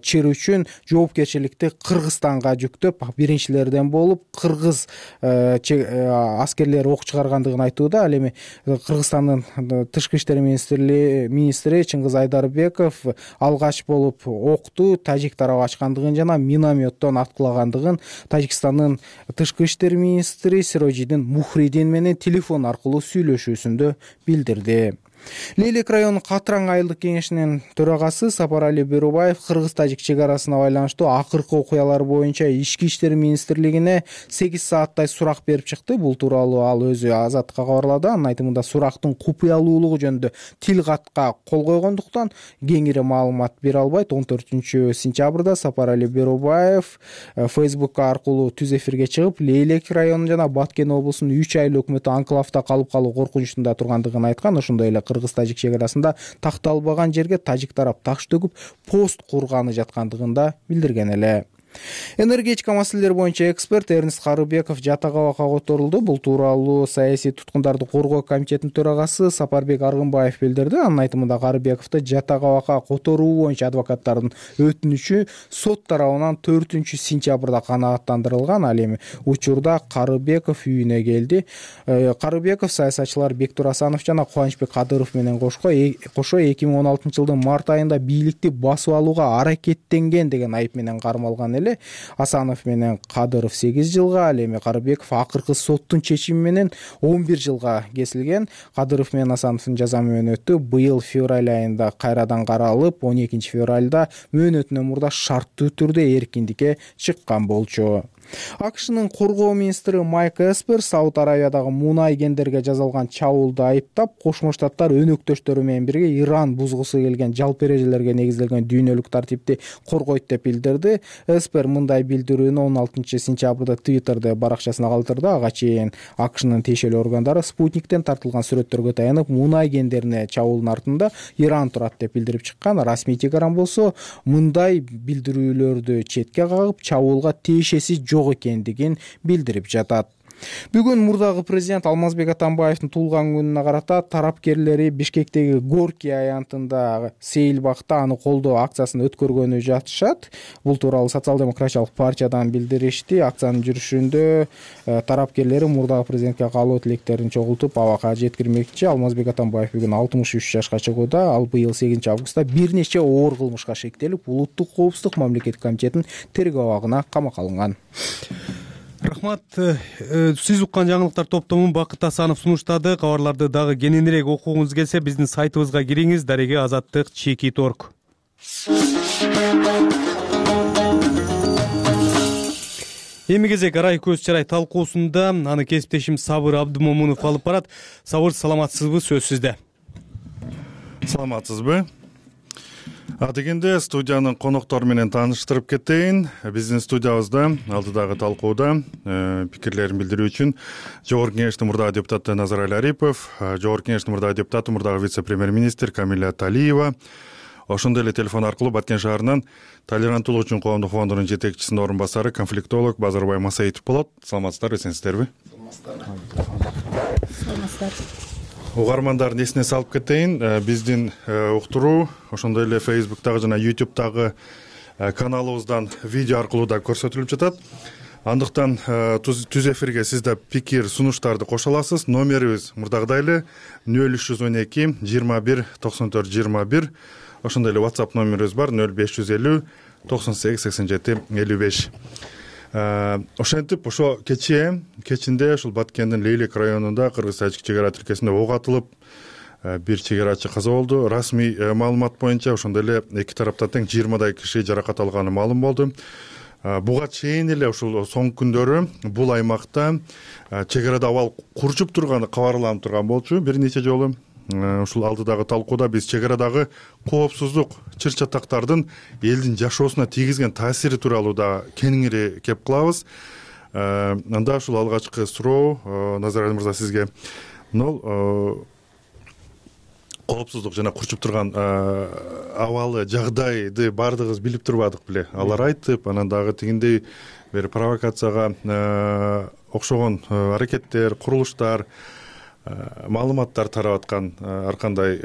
чыр үчүн жоопкерчиликти Кыргызстанга жүктөп, биринчилерден болуп кыргыз аскерлери ок чыгаргандыгын айтууда. Ал эми Кыргызстандын тышкы иштер министри Чыңгыз Айдарбеков алгач болуп окту тажик тарабы ачкандыгын жана минометтон аткылагандыгын Тажикстандын тышкы иштер министри Сирожидин Мухридин менен телефон аркылуу сүйлөшүүсүндө билдирди. Лейлек районунун Катраң айылдык кеңешинин төрагасы Сапарали Берубаев кыргыз-тажик чек арасына байланыштуу акыркы окуялар боюнча Ички иштер министрлигине 8 сааттай сурак берип чыкты. Бул тууралуу ал өзү Азаттыкка кабарлады. Анын айтымында сурактын купуялуулугу жөнүндө тил катка кол койгондуктан кеңири маалымат бере албайт. 14 сентябрда Сапарали Берубаев Facebook аркылуу түз эфирге чыгып, Лейлек районунун жана Баткен облусунун 3 айыл өкмөтү анклавда калып калуу коркунучунда тургандыгын айткан. Ошондой эле кыргыз-тажик чек арасында такталбаган жерге тажик тарап таш төгүп пост курганы жаткандыгын да билдирген эле. Энергетика маселелери боюнча эксперт Эрнис Карыбеков жатак абакка которулду. Бул тууралуу саясий туткундарды коргоо комитетинин төрагасы Сапарбек Аргынбаев билдирди. Анын айтымында Карыбековду жатак абакка которуу боюнча адвокаттардын өтүнүчү сот тарабынан 4 сентябрда канааттандырылган. Ал эми учурда Карыбеков үйүнө келди. Карыбеков саясатчылар Бектур Асанов жана Кубанычбек Кадыров менен кошо 2016 жылдын март айында бийликти басып алууга аракеттенген деген айып менен кармалган. Асанов менен Кадыров 8 жылга, ал эми Карыбеков акыркы соттун чечими менен 11 жылга кесилген. Кадыров менен Асановдун жаза мөөнөтү быйыл февраль айында кайрадан каралып, 12 февралда мөөнөтүнөн мурда шарттуу түрдө эркиндикке чыккан болчу. АКШнын коргоо министри Майк Эспер Сауд Аравиядагы мунай кендерге жасалган чабуулду айыптап, Кошмо Штаттар өнөктөштөрү менен бирге Иран бузгусу келген жалпы эрежелерге негизделген дүйнөлүк тартипти коргойт деп билдирди. Эспер мындай билдирүүнү 16 сентябрда Twitter'да баракчасына калтырды. Ага чейин АКШнын тиешелүү органдары спутниктен тартылган сүрөттөргө таянып, мунай кендерине чабуулдун артында Иран турат деп билдирип чыккан. Расмий Тегеран болсо мындай билдирүүлөрдү четке кагып, чабуулга тиешеси жок экендигин билдирип жатат. Бүгүн мурдагы президент Алмазбек Атамбаевдин туулган күнүнө карата тарапкерлери Бишкектеги Горки аянтында Сейилбакта аны колдоо акциясын өткөргөнү жатышат. Бул тууралуу Социал-демократиялык партиядан билдиришти. Акциянын жүрүшүндө тарапкерлери мурдагы президентке каалоо тилектерин чогултуп абакка жеткирмекчи. Алмазбек Атамбаев бүгүн 63 жашка чыгууда. Ал быйыл 8 августта бир нече оор кылмышка шектелип, Улуттук коопсуздук мамлекеттик комитетинин тергөө абагына камакка алынган. Рахмат. Сиз уккан жаңылыктар топтомун Бакыт Асанов сунуштады. Кабарларды дагы кененирээк окугуңуз келсе, биздин сайтыбызга кириңиз. Дареге Азаттык @cheeki.org. Эми кезек арай көз чарай талкуусунда аны кесиптешим Сабыр Абдымомунов алып барат. Сабыр, саламатсызбы? Сөз сизде. Саламатсызбы? Дегенде студиянын коноктору менен тааныштырып кетейин. Биздин студиябызда алдыдагы талкууда пикирлерин билдирүү үчүн Жогорку Кеңештин мурдагы депутаты Назарали Арипов, Жогорку Кеңештин мурдагы депутаты, мурдагы вице-премьер-министр Камиля Талиева, ошондой эле телефон аркылуу Баткен шаарынан Толеранттуулук үчүн коомдук фондунун жетекчисинин орун басары, конфликтолог Базарбай Масаитов болот. Саламатсыздарбы, эсенсиздерби? Саламатсыздар. Угармандардын эсине салып кетейин, биздин уктуруу ошондой эле Facebook'тагы жана YouTube'дагы каналыбыздан видео аркылуу да көрсөтүлүп жатат. Андыктан түз эфирге сиз да пикир, сунуштарды кошо аласыз. Номерибиз мурдагыдай эле 0312 21 94 21. Ошондой эле WhatsApp номерибиз бар 0550 98 87 55. Ошентип ошо кечинде ушул Баткендин Лейлек районунда кыргыз-тажик чегара тилкесинде ок атылып, бир чегарачы каза болду. Расмий маалымат боюнча ошондой эле эки тараптан тең 20дай киши жаракат алганы маалым болду. Буга чейин эле ушул соңку күндөрү бул аймакта чегарада абал курчуп турганы кабарланып турган болчу бир нече жолу. Ушул алдыдагы талкууда биз чегарадагы коопсуздук чыр-чатактардын элдин жашоосуна тийгизген таасири тууралуу да кеңири кеп кылабыз. Анда ушул алгачкы суроо Назарали мырза сизге. Коопсуздук жана курчуп турган абалы жагдайды баардыгыбыз билип турбадык беле. Алар айтып, анан дагы тигиндей бир провокацияга окшогон аракеттер, курулуштар, маалыматтар тарап аткан ар кандай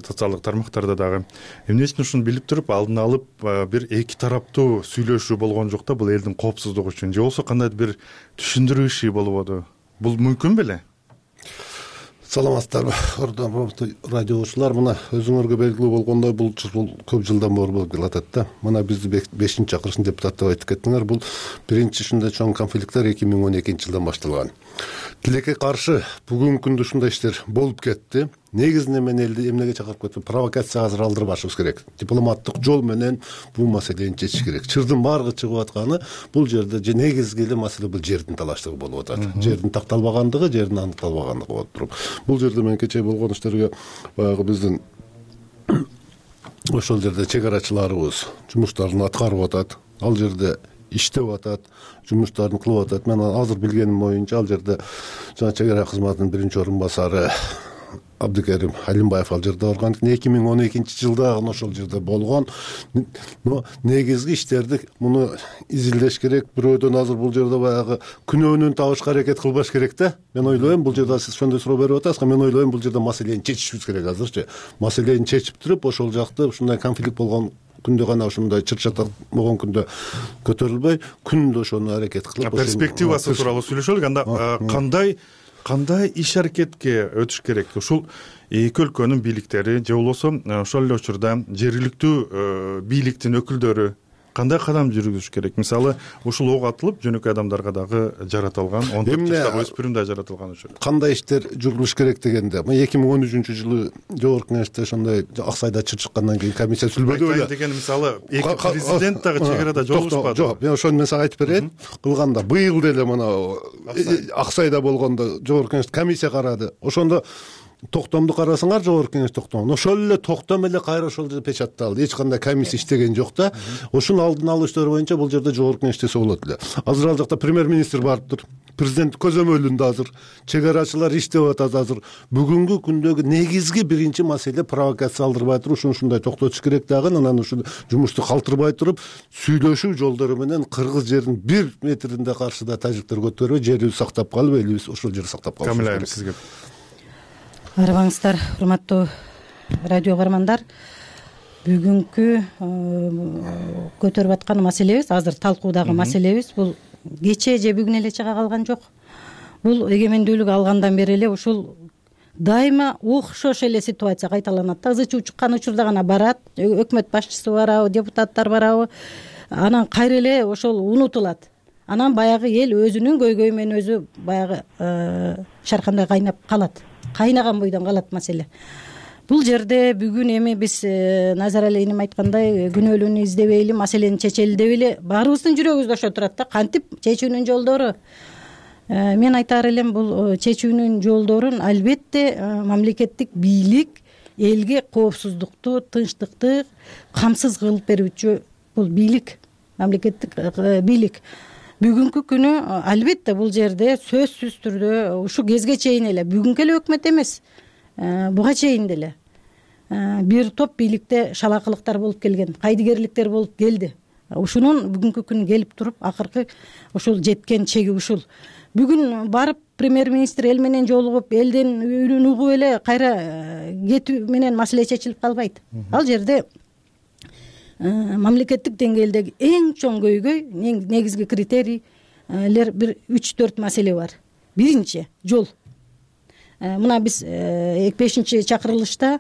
социалдык тармактарда дагы. Эмне үчүн ушуну билип туруп, алдын алып бир эки тараптуу сүйлөшүү болгон жок да, бул элдин коопсуздугу үчүн же болбосо кандайдыр бир түшүндүрүү иши болбоду? Бул мүмкүн беле? Саламатсыздарбы, радиочулар. Мына өзүңөргө белгилүү болгондой бул көп жылдан бери болуп келатат да. Мына бизди 5-чакырышын депутат деп айтып кеттиңер. Бул биринчи ушундай чоң конфликттер 2012-жылдан башталган. Тилекке каршы бүгүнкү күндө ушундай иштер болуп кетти. Негизинен мен элди эмнеге чакырып кеттим? Провокация азыр алдырбашыбыз керек. Дипломаттык жол менен бул маселени чечиш керек. Чырдын баарыгы чыгып атканы бул жерде же негизги эле маселе бул жердин талаштыгы болуп атат. Жердин такталбагандыгы, жердин аныкталбагандыгы болуп туруп. Бул жерде мен кечээ болгон иштерге баягы биздин ошол жерде чегарачыларыбыз жумуштарын аткарып атат. Ал жерде иштеп атат, жумуштарын кылып атат. Мен азыр билгеним боюнча ал жерде жана чегара кызматынын биринчи орун басары Абдыкерим Алимбаев ал жерде барган. 2012-жылда ошол жерде болгон. Негизги иштерди муну изилдеш керек. Бирөөдөн азыр бул жерде баягы күнөөнүн табышка аракет кылбаш керек да. Мен ойлойм, бул жерде сиз ошондой суроо берип атасызга, мен ойлойм бул жерде маселени чечишибиз керек азырчы. Маселени чечип туруп, ошол жакты ушундай конфликт болгон күндө гана ушундай чыр-чатак болгон күндө көтөрүлбөй, күндө ошону аракет кылып, перспективасы тууралуу сүйлөшөлүк. Анда кандай иш аракетке өтүш керек? Ушул эки өлкөнүн бийликтери же болбосо ошол эле учурда жергиликтүү бийликтин өкүлдөрү кандай кадам жүргүзүш керек? Мисалы ушул ок атылып жөнөкөй адамдарга дагы жаратылган, 14 жаштагы өспүрүм да жаратылган ошо. Кандай иштер жүргүзүш керек дегенде, 2013-жылы Жогорку Кеңеште ошондой Аксайда чыккандан кийин комиссия сүйлөбөдү беле деген, мисалы эки президент дагы чек арада жолугушпады. Жок, мен ошону мен сага айтып берейин. Кылганда быйыл деле мына Аксайда болгондо Жогорку Кеңеш комиссия карады. Ошондо токтомду карасаңар, Жогорку Кеңеш токтому. Ошол эле токтом эле кайра ошол жерде печатталды. Эч кандай комиссия иштеген жок да. Ошонун алдын алуу иштери боюнча бул жерде Жогорку Кеңеш иштесе болот эле. Азыр ал жакта премьер-министр барыптыр. Президент көзөмөлүндө азыр. Чек арачылар иштеп атат азыр. Бүгүнкү күндөгү негизги биринчи маселе провокация алдырбай туруп, ушундай токтотуш керек дагы. Анан ушул жумушту калтырбай туруп, сүйлөшүү жолдору менен кыргыз жерин 1 метринде каршыда тажиктер көтөрүп, жерибизди сактап калып, элибиз ошол жерди сактап калыш. Камила айым, сизге. Арыбаңыздар, урматтуу радио угармандар. Бүгүнкү көтөрүп аткан маселебиз, азыр талкуудагы маселебиз бул кече же бүгүн эле чыга калган жок. Бул эгемендүүлүк алгандан бери эле ушул дайыма окшош эле ситуация кайталанат. Тазы чыккан учурда гана барат, өкмөт башчысы барабы, депутаттар барабы, анан кайра эле ошол унутулат. Анан баягы эл өзүнүн көйгөйү менен өзү баягы шаркандай кайнап калат. Кайнаган бойдон калат маселе. Бул жерде бүгүн эми биз Назар Алиевнин айткандай күнөөлүүнү издебейли, маселени чечели деп эле баарыбыздын жүрөгүбүздө ошо турат да. Кантип чечүүнүн жолдору? Мен айтаар элем, бул чечүүнүн жолдорун албетте мамлекеттик бийлик элге коопсуздукту, тынчтыкты камсыз кылып берүүчү бул бийлик, мамлекеттик бийлик. Бүгүнкү күнү албетте бул жерде сөзсүз түрдө ушу кезге чейин эле, бүгүнкү эле өкмөт эмес, буга чейин деле бир топ бийликте шалакылыктар болуп келген, кайдыгерликтер болуп келди. Ушунун бүгүнкү күн келип туруп акыркы ушул жеткен чеги ушул. Бүгүн барып премьер-министр эл менен жолугуп, элдин үнүн угуп эле кайра кетүү менен маселе чечилип калбайт. Ал жерде мамлекеттик деңгээлдеги эң чоң көйгөй, негизги критерийлер бир 3-4 маселе бар. Биринчи жол. Мына биз 5-чакырылышта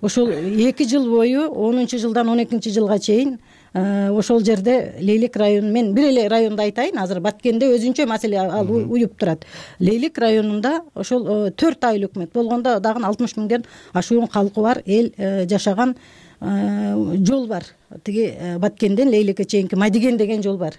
ошол 2 жыл бою 10-жылдан 12-жылга чейин ошол жерде Лейлик району, мен бир эле районду айтайын, азыр Баткенде өзүнчө маселе ал уюп турат. Лейлик районунда ошол 4 айыл өкмөт болгондо дагы 60 миңден ашуун калкы бар эл жашаган жол бар. Тиги Баткенден Лейликке чейинки Мадиген деген жол бар.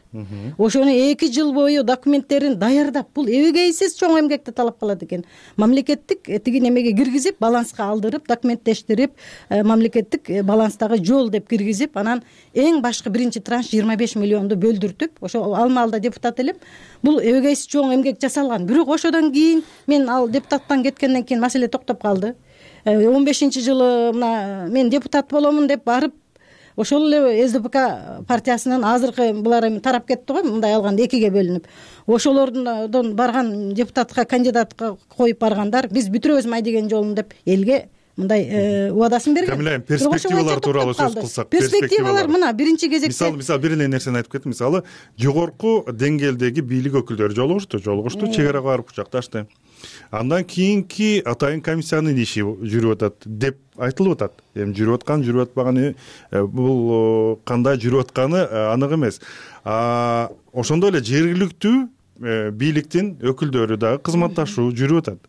Ошону 2 жыл бою документтерин даярдап, бул эбегейсиз чоң эмгекти талап кылат экен. Мамлекеттик тиги немеге киргизип, баланска алдырып, документтештирип, мамлекеттик баланстагы жол деп киргизип, анан эң башкы биринчи транш 25 миллионду бөлдүртүп, ошо ал маалда депутат элем. Бул эбегейсиз чоң эмгек жасалган. Бирок ошодон кийин мен ал депутаттан кеткенден кийин маселе токтоп калды. 15-жылы мына мен депутат боломун деп барып, ошол эле СДПК партиясынын азыркы булар эми тарап кетти го, мындай алганда 2ге бөлүнүп. Ошолордон барган депутатка кандидатка коюп баргандар, биз бүтүрөбүз Мадиген жолун деп элге мындай убадасын берген. Камила, перспективалар тууралуу сөз кылсак, перспективалар мына биринчи кезекте. Мисалы бир эле нерсени айтып кеттим. Мисалы, жогорку деңгээлдеги бийлик өкүлдөрү жолугушту, чек арага барып кучакташты. Андан кийинки атайын комиссиянын иши жүрүп атат деп айтылып атат. Эми жүрүп аткан, жүрүп атпаганы, бул кандай жүрүп атканы анык эмес. Ошондой эле жергиликтүү бийликтин өкүлдөрү дагы кызматташуу жүрүп атат.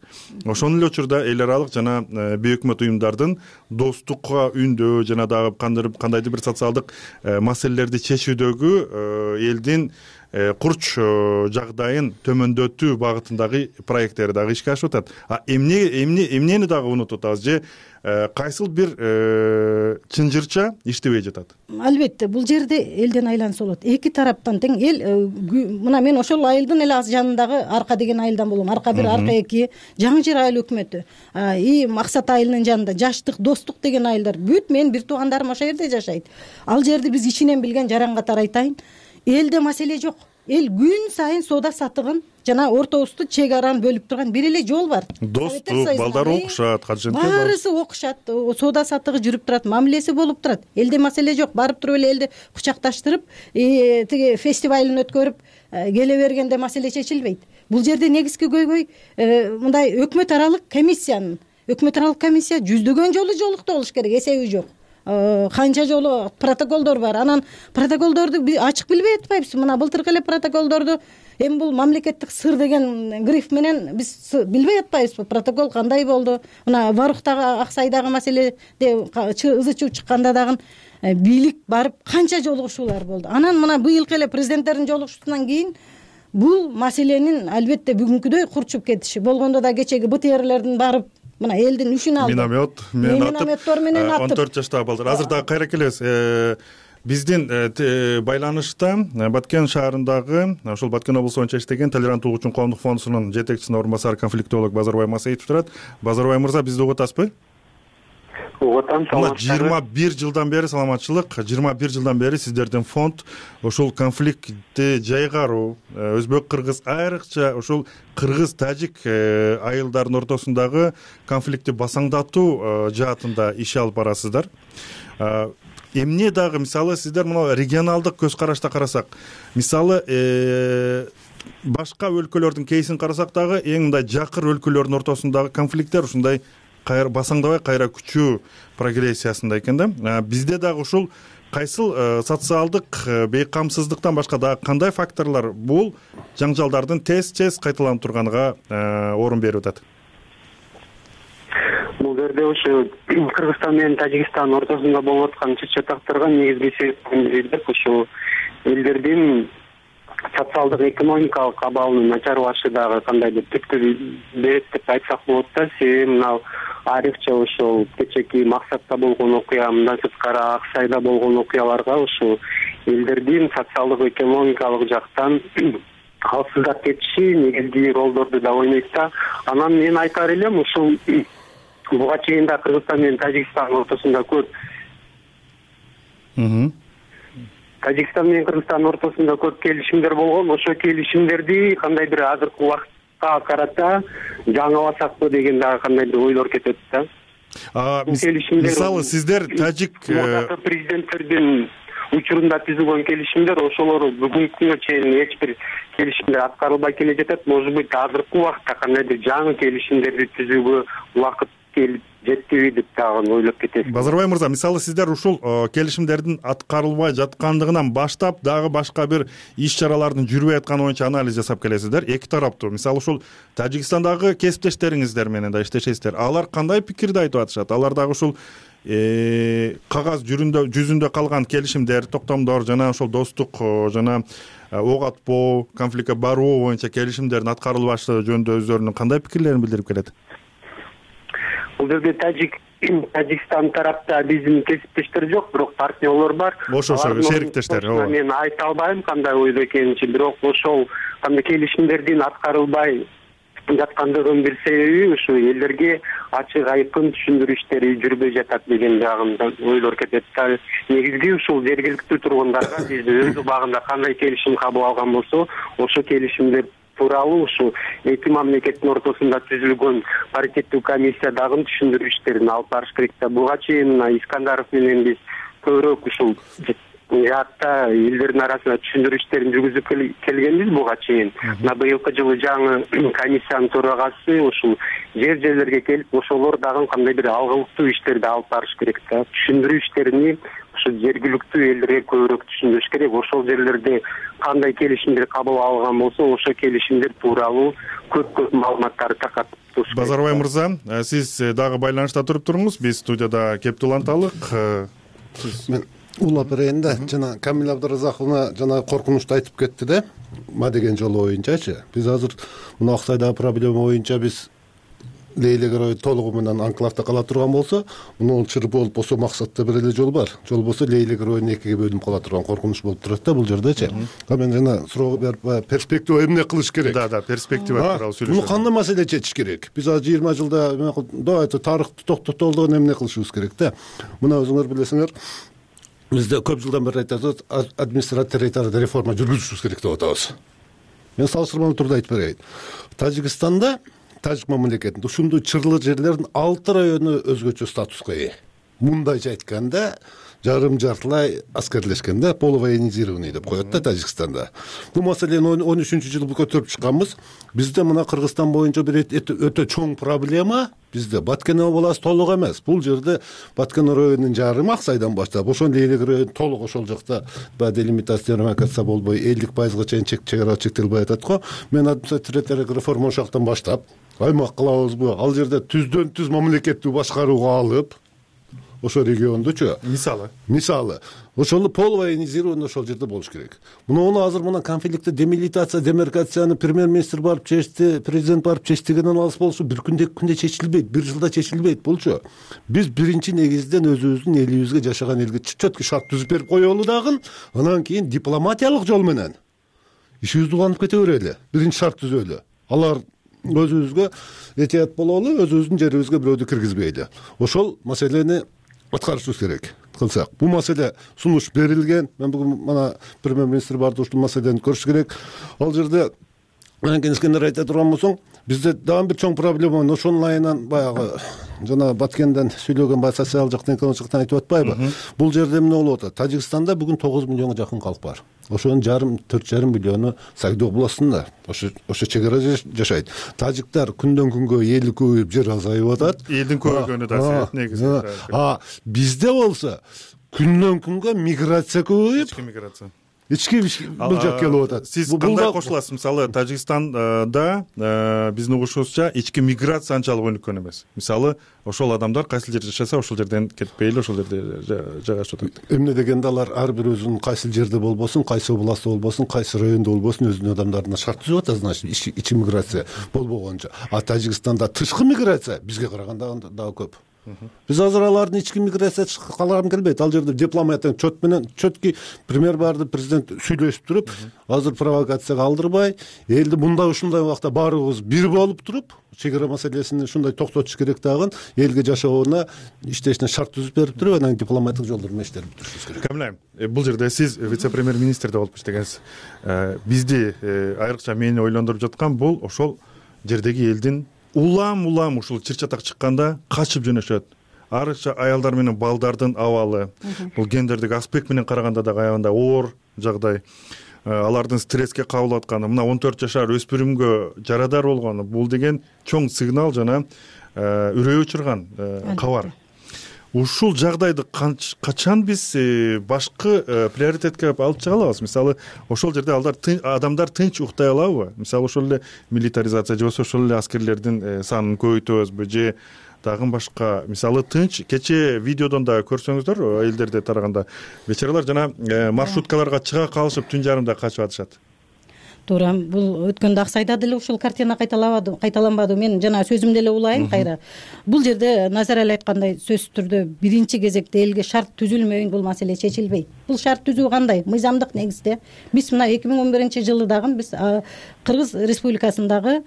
Ошол эле учурда эл аралык жана бейөкмөт уюмдардын достукка үндөө жана дагы кандайдыр бир социалдык маселелерди чечүүдөгү элдин курч жагдайын төмөндөтүү багытындагы проекттери дагы ишке ашып атат. Эмнени дагы унутуп атабыз же кайсыл бир чынжырча иштебей жатат? Албетте, бул жерде элден айланса болот. Эки тараптан тең эл, мына мен ошол айылдын эле жанындагы Арка деген айылдан болом. Арка 1, Арка 2, Жаңы Жер айыл өкмөтү. Максат айылынын жанында Жаштык, Достук деген айылдар. Бүт менин бир туугандарым ошол жерде жашайт. Ал жерди биз ичинен билген жаран катары айтайын. Элде маселе жок. Эл күн сайын соода сатыгын жана ортобузду чек араны бөлүп турган бир эле жол бар. Достук, балдар окушат, баарысы окушат, соода сатыгы жүрүп турат, мамилеси болуп турат. Элде маселе жок. Барып туруп эле элди кучакташтырып, тиги фестивалын өткөрүп келе бергенде маселе чечилбейт. Бул жерде негизги көйгөй мындай өкмөт аралык комиссия жүздөгөн жолу жолукту болуш керек, эсеби жок. канча жолу протоколдор бар. Анан протоколдорду ачык билбей атпайбызбы? Мына былтыркы эле протоколдорду эми бул мамлекеттик сыр деген гриф менен биз билбей атпайбызбы? Протокол кандай болду? Мына Варуктагы Аксайдагы маселеде ызы чуу чыкканда дагы бийлик барып канча жолугушуулар болду. Анан мына быйылкы эле президенттердин жолугушуусунан кийин бул маселенин албетте бүгүнкүдөй курчуп кетиши болгондо да кечеги БТРлердин барып мына элдин үшүн алды. Минометтор менен атып 14 жаштагы балдар. Азыр дагы кайра келебиз. Биздин байланышта Баткен шаарындагы ошол Баткен облусу боюнча иштеген Толеранттуулук үчүн коомдук фондусунун жетекчисинин орун басары конфликтолог Базарбай Масаитов турат. Базарбай мырза, бизди угуп атасызбы? Угуп атам. 21 жылдан бери саламатчылык, 21 жылдан бери сиздердин фонд ошол конфликтти жайгаруу, өзбек кыргыз айрыкча ошол кыргыз тажик айылдардын ортосундагы конфликтти басаңдатуу жаатында иш алып барасыздар. Эмне дагы мисалы сиздер мына регионалдык көз карашта карасак, мисалы башка өлкөлөрдүн кейсин карасак дагы эң мындай жакыр өлкөлөрдүн ортосундагы конфликттер ушундай кайра басаңдабай кайра күчүү прогрессиясында экен да. Бизде дагы ушул кайсыл социалдык бейкамсыздыктан башка дагы кандай факторлор бул жаңжалдардын тез кайталанып турганга орун берип атат? Бул жерде ошо Кыргызстан менен Тажикстандын ортосунда болуп аткан чычатактарга негизги себеп ушул элдердин социалдык экономикалык абалынын начарлашы дагы кандайдыр түрткү берет деп айтсак болот да. Себеби мына айрыкча ошол кечеки Максатта болгон окуя, мындан сырткары Аксайда болгон окуяларга ушул элдердин социалдык экономикалык жактан алсыздап кетиши негизги ролдорду да ойнойт да. Анан мен айтар элем ушул буга чейин да Кыргызстан менен Тажикстандын ортосунда көп Тажикстан менен Кыргызстандын ортосунда көп келишимдер болгон. Ошо келишимдерди кандайдыр азыркы убакытка карата жаңыласакпы деген дагы кандайдыр ойлор кетет да. Мисалы сиздер тажик президенттердин учурунда түзүлгөн келишимдер ошолор бүгүнкү күнгө чейин эч бир келишимдер аткарылбай келе жатат. Может быть, азыркы убакытта кандайдыр жаңы келишимдерди түзүүгө убакыт келип жетпейби деп дагы ойлоп кетесиз. Базарбай мырза, мисалы сиздер ушул келишимдердин аткарылбай жаткандыгынан баштап дагы башка бир иш чаралардын жүрбөй атканы боюнча анализ жасап келесиздер. Эки тараптуу, мисалы ушул Тажикстандагы кесиптештериңиздер менен да иштешесиздер. Алар кандай пикирди айтып атышат? Алар дагы ушул кагаз жүзүндө калган келишимдер, токтомдор жана ошол достук жана ок атпоо, конфликтке баруу боюнча келишимдердин аткарылбашы жөнүндө өздөрүнүн кандай пикирлерин билдирип келет? Бул жерде Тажикстан тарапта биздин кесиптештер жок, бирок партнерлор бар. Ошо шериктештер. Мен айта албайм кандай ойдо экенин, бирок ошол кандай келишимдердин аткарылбай жаткандыгынын бир себеби ушу элдерге ачык айкын түшүндүрүү иштери жүрбөй жатат деген дагы ойлор кетет. Негизги ушул жергиликтүү тургундарга биз өз убагында кандай келишим кабыл алган болсо, ошо келишимдер тууралуу ушу эки мамлекеттин ортосунда түзүлгөн паритеттүү комиссия дагы түшүндүрүү иштерин алып барыш керек да. Буга чейин Искандаров менен биз көбүрөөк ушул жаатта элдердин арасында түшүндүрүү иштерин жүргүзүп келгенбиз буга чейин. Мына быйылкы жылы жаңы комиссиянын төрагасы ушул жерлерге келип, ошолор дагы кандай бир алгылыктуу иштерди алып барыш керек да. Түшүндүрүү иштерини ушу жергиликтүү элдерге көбүрөөк түшүндүрүш керек. Ошол жерлерде кандай келишимдер кабыл алган болсо, ошол келишимдер тууралуу көп маалыматтарды таркатып туруш керек. Базарбай мырза, сиз дагы байланышта туруп туруңуз. Биз студияда Кептул Анталык. Мен улап берейин да, жана Камила Абдыразаковна жана коркунучту айтып кетти да. Ма деген жолу боюнчачы. Биз азыр мына Аксайдагы проблема боюнча биз Лейлегерой толугу менен анклавда кала турган болсо, муну чыр болуп болсо Максатта бир эле жол бар. Жол болсо Лейлегеройдун экиге бөлүнүп кала турган коркунуч болуп турат да бул жердечи. Мен жана суроо берип перспектива эмне кылыш керек? Да, перспектива тууралуу сүйлөшөбүз. Муну кандай маселе чечиш керек? Биз азыр 20 жылда давайте тарыхты токтотолду эмне кылышыбыз керек да? Мына өзүңөр билесиңер, бизде көп жылдан бери айтабыз, административдик реформа жүргүзүшүбүз керек деп атабыз. Мен салыштырмалуу турда айтып берейин. Тажикстанда Тажик мамлекетинде ушундай чырлы жерлердин 6 району өзгөчө статуска ээ. Мындайча айтканда, жартылай аскерлешкен да, полувоенизированный деп коет да Тажикстанда. Бул маселени 13-жылы көтөрүп чыкканбыз. Бизде мына Кыргызстан боюнча бир өтө чоң проблема. Бизде Баткен областы толук эмес. Бул жерде Баткен районунун жарымы Аксайдан баштап, ошол Лейлик району толук ошол жакта делимитация демаркация болбой 50% чейин чегара чектелбей атат го. Мен административдик реформа ошактан баштап аймак кылабызбы? Ал жерде түздөн түз мамлекеттик башкарууга алып, ошо региондучу мисалы ошол полувоенизированный ошол жерде болуш керек. Муну азыр мына конфликтти демилитация, демаркацияны премьер-министр барып чечти, президент барып чечтигенен алыс болушу бир күндө, 2 күндө чечилбейт, бир жылда чечилбейт болчу. Биз биринчи негизден өзүбүздүн элибизге, жашаган элге чөткү шарт түзүп берип коелу дагы, анан кийин дипломатиялык жол менен ишибизди улантып кете берели. Биринчи шарт түзөлү. Алар өзүбүзгө этият бололу, өзүбүздүн жерибизге бирөөдү киргизбейли. Ошол маселени аткарышыбыз керек кылсак. Бул маселе сунуш берилген. Мен бүгүн мына премьер-министр барды, ушул маселени көрүш керек. Ал жерде кенескендер айта турган болсоң, бизде дагы бир чоң проблема бар. Ошонун айынан баягы жана Баткенден сүйлөгөн социал жактан, экономик жактан айтып атпайбы? Бул жерде эмне болуп атат? Тажикстанда бүгүн 9 миллионго жакын калк бар. Ошонун 4,5 миллиону Сагдо областында. Ошо чегара жашайт. Тажиктар күндөн күнгө эли көбөйүп, жер азайып атат. Элдин көбөйгөнү да себеп негизи. Бизде болсо күндөн күнгө миграция көбөйүп, ички бул жак келип атат. Сиз кандай кошуласыз? Мисалы Тажикстанда биздин угушубузча ички миграция анчалык өнүккөн эмес. Мисалы ошол адамдар кайсыл жерде жашаса, ошол жерден кетпейли, ошол жерде жайгашып атат. Эмне дегенде алар ар бир өзүнүн кайсыл жерде болбосун, кайсы областта болбосун, кайсы райондо болбосун, өзүнүн адамдарына шарт түзүп атат, значит, ички миграция болбогончо. А Тажикстанда тышкы миграция бизге караганда дагы көп. Биз азыр алардын ички миграция калагым келбейт. Ал жерде дипломатиянын чөт менен чөткү премьер барды, президент сүйлөшүп туруп, азыр провокацияга алдырбай, элди мындай ушундай убакта баарыбыз бир болуп туруп, чегара маселесин ушундай токтотуш керек дагы, элге жашооуна, иштешине шарт түзүп берип туруп, анан дипломатик жолдор менен иштеп бүтүрүшүбүз керек. Камилайым, бул жерде сиз вице-премьер-министрде болуп иштегенсиз. Бизди айрыкча мени ойлондуруп жаткан бул ошол жердеги элдин улам ушул чыр-чатак чыкканда качып жөнөшөт. Арыкча аялдар менен балдардын абалы, бул гендердик аспект менен караганда дагы аябай оор жагдай. Алардын стресске кабыл атканы, мына 14 жашар өспүрүмгө жарадар болгону, бул деген чоң сигнал жана үрөй учурган кабар. Ушул жагдайды качан биз башкы приоритетке алып чыга алабыз? Мисалы, ошол жерде адамдар тынч уктай алабы? Мисалы, ошол эле милитаризация же болбосо ошол эле аскерлердин санын көбөйтөбүзбү же дагы башка? Мисалы, тынч кече видеодон да көрсөңүздөр, элдерде тараганда бечаралар жана маршруткаларга чыга калышып түн жарымда качып атышат. Туура, бул өткөндө Аксайда деле ушул картина кайталанбады. Мен жана сөзүмдө эле улайын кайра. Бул жерде Назар эле айткандай, сөзсүз түрдө биринчи кезекте элге шарт түзүлмөйүн бул маселе чечилбейт. Бул шарт түзүү кандай? Мыйзамдык негизде. Биз мына 2011-жылы дагы биз Кыргыз Республикасындагы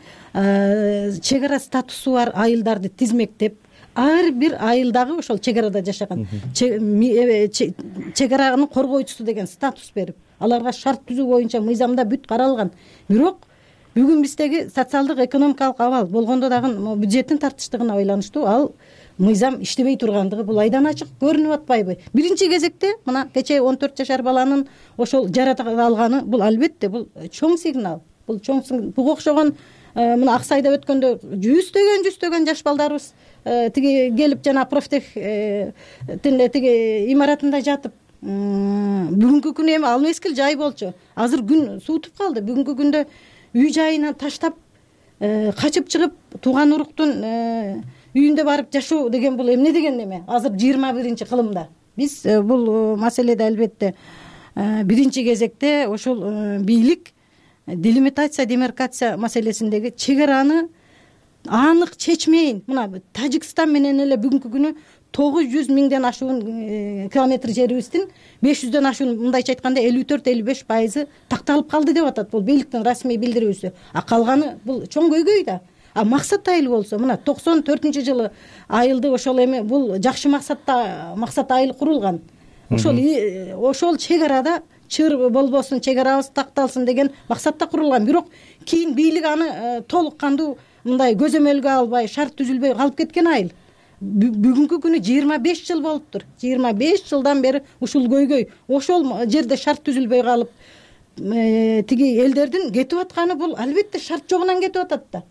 чегара статусу бар айылдарды тизмектеп, ар бир айылдагы ошол чегарада жашаган чегаранын коргоочусу деген статус берип, аларга шарт түзүү боюнча мыйзамда бүт каралган. Бирок бүгүн биздеги социалдык экономикалык абал болгондо дагы бюджеттин тартыштыгына байланыштуу ал мыйзам иштебей тургандыгы бул айдан ачык көрүнүп атпайбы? Биринчи кезекте мына кечээ 14 жашар баланын ошол жарата алганы бул албетте бул чоң сигнал. Бул чоң буга окшогон мына Аксайда өткөндө жүздөгөн жаш балдарыбыз тиги келип жана профтех тиги имаратында жатып, бүгүнкү күнү эми ал мезгил жай болчу. Азыр күн суутуп калды. Бүгүнкү күндө үй жайынан таштап качып чыгып тууган уруктун үйүндө барып жашоо деген бул эмне деген неме? Азыр 21-кылымда. Биз бул маселеде албетте биринчи кезекте ошол бийлик делимитация, демаркация маселесиндеги чегараны анык чечмейин. Мына Тажикстан менен эле бүгүнкү күнү 900 миңден ашуун километр жерибиздин 500дөн ашуун, мындайча айтканда 54-55% такталып калды деп атат. Бул бийликтин расмий билдирүүсү. А калганы бул чоң көйгөй да. А максат айыл болсо, мына 94-жылы айылды ошол эми бул жакшы максат айыл курулган. Ошол чегарада чыр болбосун, чегарабыз такталсын деген максатта курулган. Бирок кийин бийлик аны толук кандуу мындай көзөмөлгө албай, шарт түзүлбөй калып кеткен айыл. бүгүнкү күнү 25 жыл болуптур. 25 жылдан бери ушул көйгөй, ошол жерде шарт түзүлбөй калып тиги элдердин кетип атканы бул албетте шарт жогунан кетип атат да.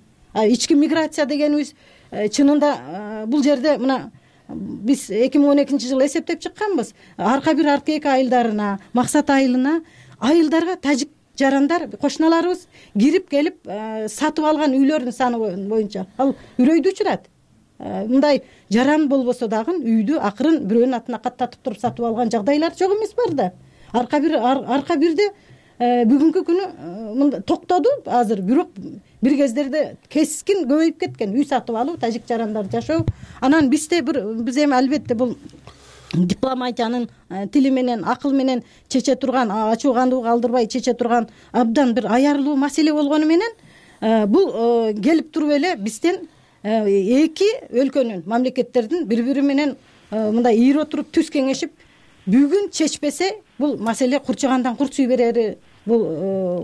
Ички миграция дегенибиз чынында бул жерде мына биз 2012 жылы эсептеп чыкканбыз. Арка бир арка эки айылдарына, максат айылына айылдарга тажик жарандар кошуналарыбыз кирип келип сатып алган үйлөрдүн саны боюнча ал үрөйдү учурат. Мындай жаран болбосо дагы үйдү акырын бирөөнүн атына каттатып туруп сатып алган жагдайлар жок эмес бар да. Арка бирде бүгүнкү күнү токтоду азыр, бирок бир кездерде кескин көбөйүп кеткен үй сатып алуу, тажик жарандар жашоо. Анан биз эми албетте бул дипломатиянын тили менен, акыл менен чече турган, ачуугандуу калтырбай чече турган абдан бир аярлуу маселе болгону менен бул келип туруп эле бизден эки өлкөнүн, мамлекеттердин бири-бири менен мындай ийире отуруп түз кеңешип бүгүн чечпесе бул маселе курчагандан курчуй берери бул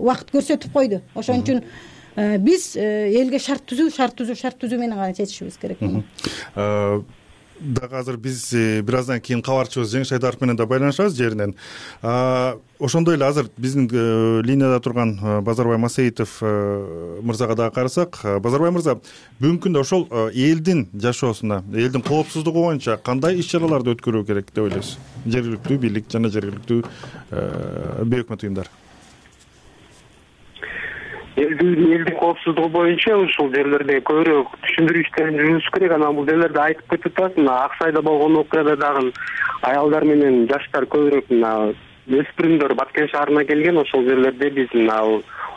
убакыт көрсөтүп койду. Ошон үчүн биз элге шарт түзүү менен гана чечишибиз керек. Дагы азыр биз бир аздан кийин кабарчыбыз Жеңиш Айдаров менен да байланышабыз жеринен. Ошондой эле азыр биздин линияда турган Базарбай Масеитов мырзага дагы карасак, Базарбай мырза, бүгүнкү күндө ошол элдин жашоосуна, элдин коопсуздугу боюнча кандай иш-чараларды өткөрүү керек деп ойлойсуз? Жергиликтүү бийлик жана жергиликтүү бейөкмөт уюмдар. Элдин коопсуздугу боюнча ушул жерлерде көбүрөөк түшүндүрүү иштерин жүргүзүш керек. Анан бул жерлерде айтып кетип атат, Ак Сайда болгон окуяда дагы аялдар менен жаштар көбүрөөк өспүрүмдөр Баткен шаарына келген. Ошол жерлерде биз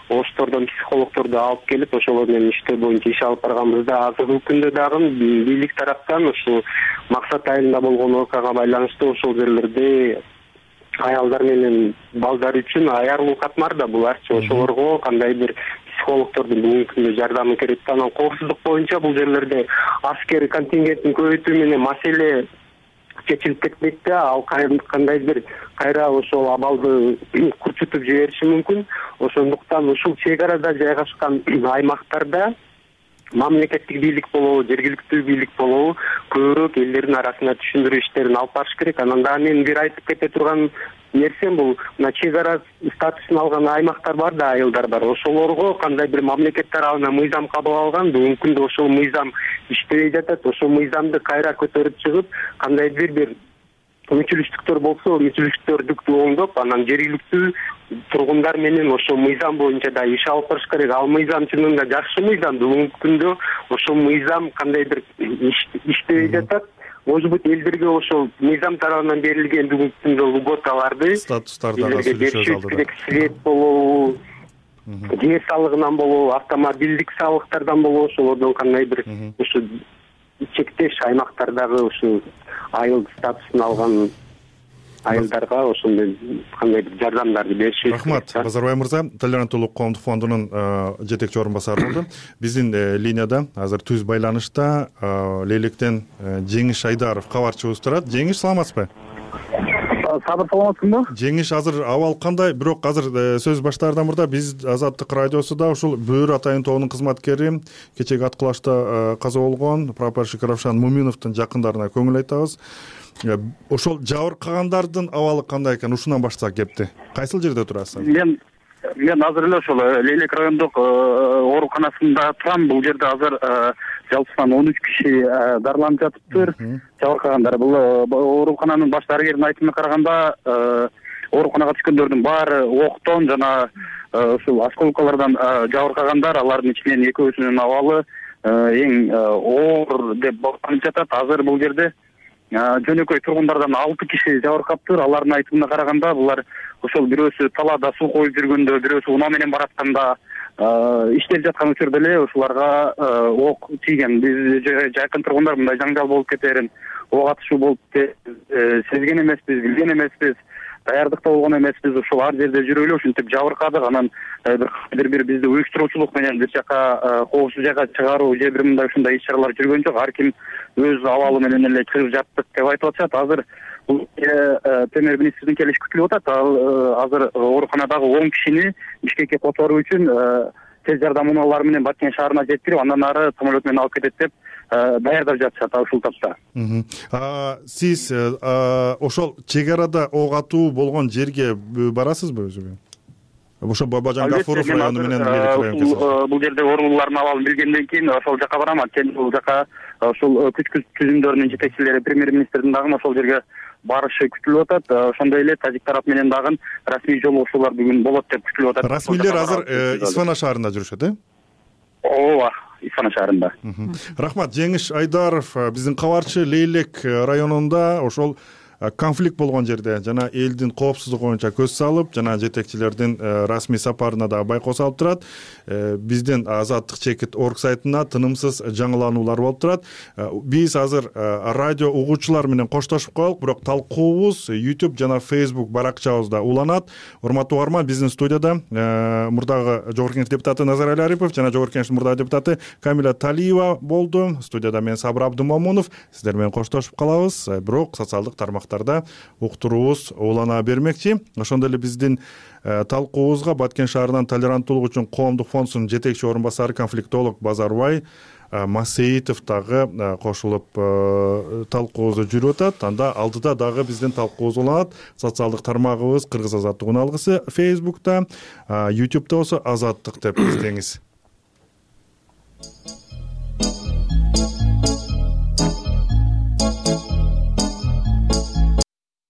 оштордон психологдорду алып келип, ошолор менен иштөө боюнча иш алып барганбызда, азыркы күндө дагы бийлик тараптан ушул Максат айылында болгон окуяга байланыштуу ошол жерлерде аялдар менен балдар үчүн аярлуу катмар да буларчы. Ошолорго кандай бир психологдордун бүгүнкү күндө жардамы керек. Анан коопсуздук боюнча бул жерлерде аскер контингентин көбөйтүү менен маселе чечилип кетпейт да, ал кандай бир кайра ошол абалды курчутуп жибериши мүмкүн. Ошондуктан ушул чек арада жайгашкан аймактарда мамлекеттик бийлик болобу, жергиликтүү бийлик болобу көбүрөөк элдердин арасына түшүндүрүү иштерин алып барыш керек. Анан дагы мен бир айтып кете турган нерсем бул мына чек ара статусун алган аймактар бар да, айылдар бар. Ошолорго кандай бир мамлекет тарабынан мыйзам кабыл алган, бүгүнкү күндө ошол мыйзам иштебей жатат. Ошол мыйзамды кайра көтөрүп чыгып, кандай бир мүчүлүштүктөр болсо, мүчүлүштүктөрдү оңдоп, анан жергиликтүү тургундар менен ошол мыйзам боюнча да иш алып барыш керек. Ал мыйзам чынында жакшы мыйзам. Бүгүнкү күндө ошол мыйзам кандай бир иштебей жатат. Может быть, элдерге ошол мыйзам тарабынан берилген бүгүнкү күндө льготаларды, статустарды беришибиз керек. Свет болобу, жер салыгынан болобу, автомобилдик салыктардан болобу, ошолордон кандай бир ушу чектеш аймактардагы ушу айыл статусун алган айылдарга ошондой кандай бир жардамдарды беришибиз керек. Рахмат, Базарбай мырза, Толеранттуулук коомдук фондунун жетекчи орун басары болду. Биздин линияда азыр түз байланышта Лейлектен Жеңиш Айдаров кабарчыбыз турат. Жеңиш, саламатсызбы? Сабыр, саламатсызбы? Жеңиш, азыр абал кандай? Бирок азыр сөз баштаардан мурда биз Азаттык радиосуда ушул Бөөр атайын тобунун кызматкери, кечеги аткылашта каза болгон прапорщик Равшан Муминовдун жакындарына көңүл айтабыз. Ошол жабыркагандардын абалы кандай экен? Ушунан баштасак кепти. Кайсыл жерде турасыз? Мен азыр эле ошол Лейлек райондук ооруканасында турам. Бул жерде азыр жалпысынан 13 киши дарыланып жатыптыр. Жабыркагандар. Бул оорукананын баш дарыгеринин айтымына караганда, ооруканага түшкөндөрдүн баары октон жана ушул осколкалардан жабыркагандар. Алардын ичинен экөөсүнүн абалы эң оор деп бағаланып жатат. Азыр бул жерде жөнөкөй тургундардан 6 киши жабыркаптыр. Алардын айтымына караганда, булар ошол бирөөсү талаада суу коюп жүргөндө, бирөөсү унаа менен баратканда иштеп жаткан учурда эле ушуларга ок тийген. Биз жакын тургундар мындай жаңжал болуп кетерин, ок атышуу болуп сезген эмеспиз, билген эмеспиз, даярдыкта болгон эмеспиз. Ушул ар жерде жүрүп эле ушинтип жабыркадык. Анан бир бизди уюштуруучулук менен бир жака коопсуз жайга чыгаруу же бир мындай ушундай иш-чаралар жүргөн жок. Ар ким өз абалы менен эле чыгып жаттык деп айтып атышат. Азыр бул премьер-министрдин келиши күтүлүп атат. Азыр ооруканадагы 10 кишини Бишкекке которуу үчүн тез жардам унаалары менен Баткен шаарына жеткирип, андан ары самолет менен алып кетет деп даярдап жатышат ушул тапта. Сиз ошол чек арада ок атуу болгон жерге барасызбы өзү? Ошо Бабажан Гафуров району менен бул жерде оорулуулардын абалын билгенден кийин ошол жака барам. Анткени бул жака ушул күч түзүмдөрүнүн жетекчилери премьер-министрдин дагы ошол жерге барышы күтүлүп атат. Ошондой эле тажик тарап менен дагы расмий жолугушуулар бүгүн болот деп күтүлүп атат. Расмийлер азыр Исфана шаарында жүрүшөт, ооба, Исфана шаарында. Рахмат. Жеңиш Айдаров, биздин кабарчы, Лейлек районунда ошол конфликт болгон жерде жана элдин коопсуздугу боюнча көз салып, жана жетекчилердин расмий сапарына да байкоо салып турат. Биздин Азаттык чекит орг сайтына тынымсыз жаңылануулар болуп турат. Биз азыр радио угуучулар менен коштошуп коелук, бирок талкуубуз YouTube жана Facebook баракчабызда уланат. Урматтуу угарман, биздин студияда мурдагы Жогорку Кеңеш депутаты Назарали Арипов жана Жогорку Кеңештин мурдагы депутаты Камиля Талиева болду. Студияда мен Сабыр Абдымомунов. Сиздер менен коштошуп калабыз. Бирок социалдык тармактарда уктуруубуз улана бермекчи. Ошондой эле биздин талкуубузга Баткен шаарынын толеранттуулук үчүн коомдук фондунун жетекчи орун басары конфликтолог Базарбай Масеитов дагы кошулуп талкуубузду жүрүп атат. Анда алдыда дагы биздин талкуубуз уланат. Социалдык тармагыбыз Кыргыз Азаттык уналгысы Facebook'та, YouTube'да болсо Азаттык деп издеңиз.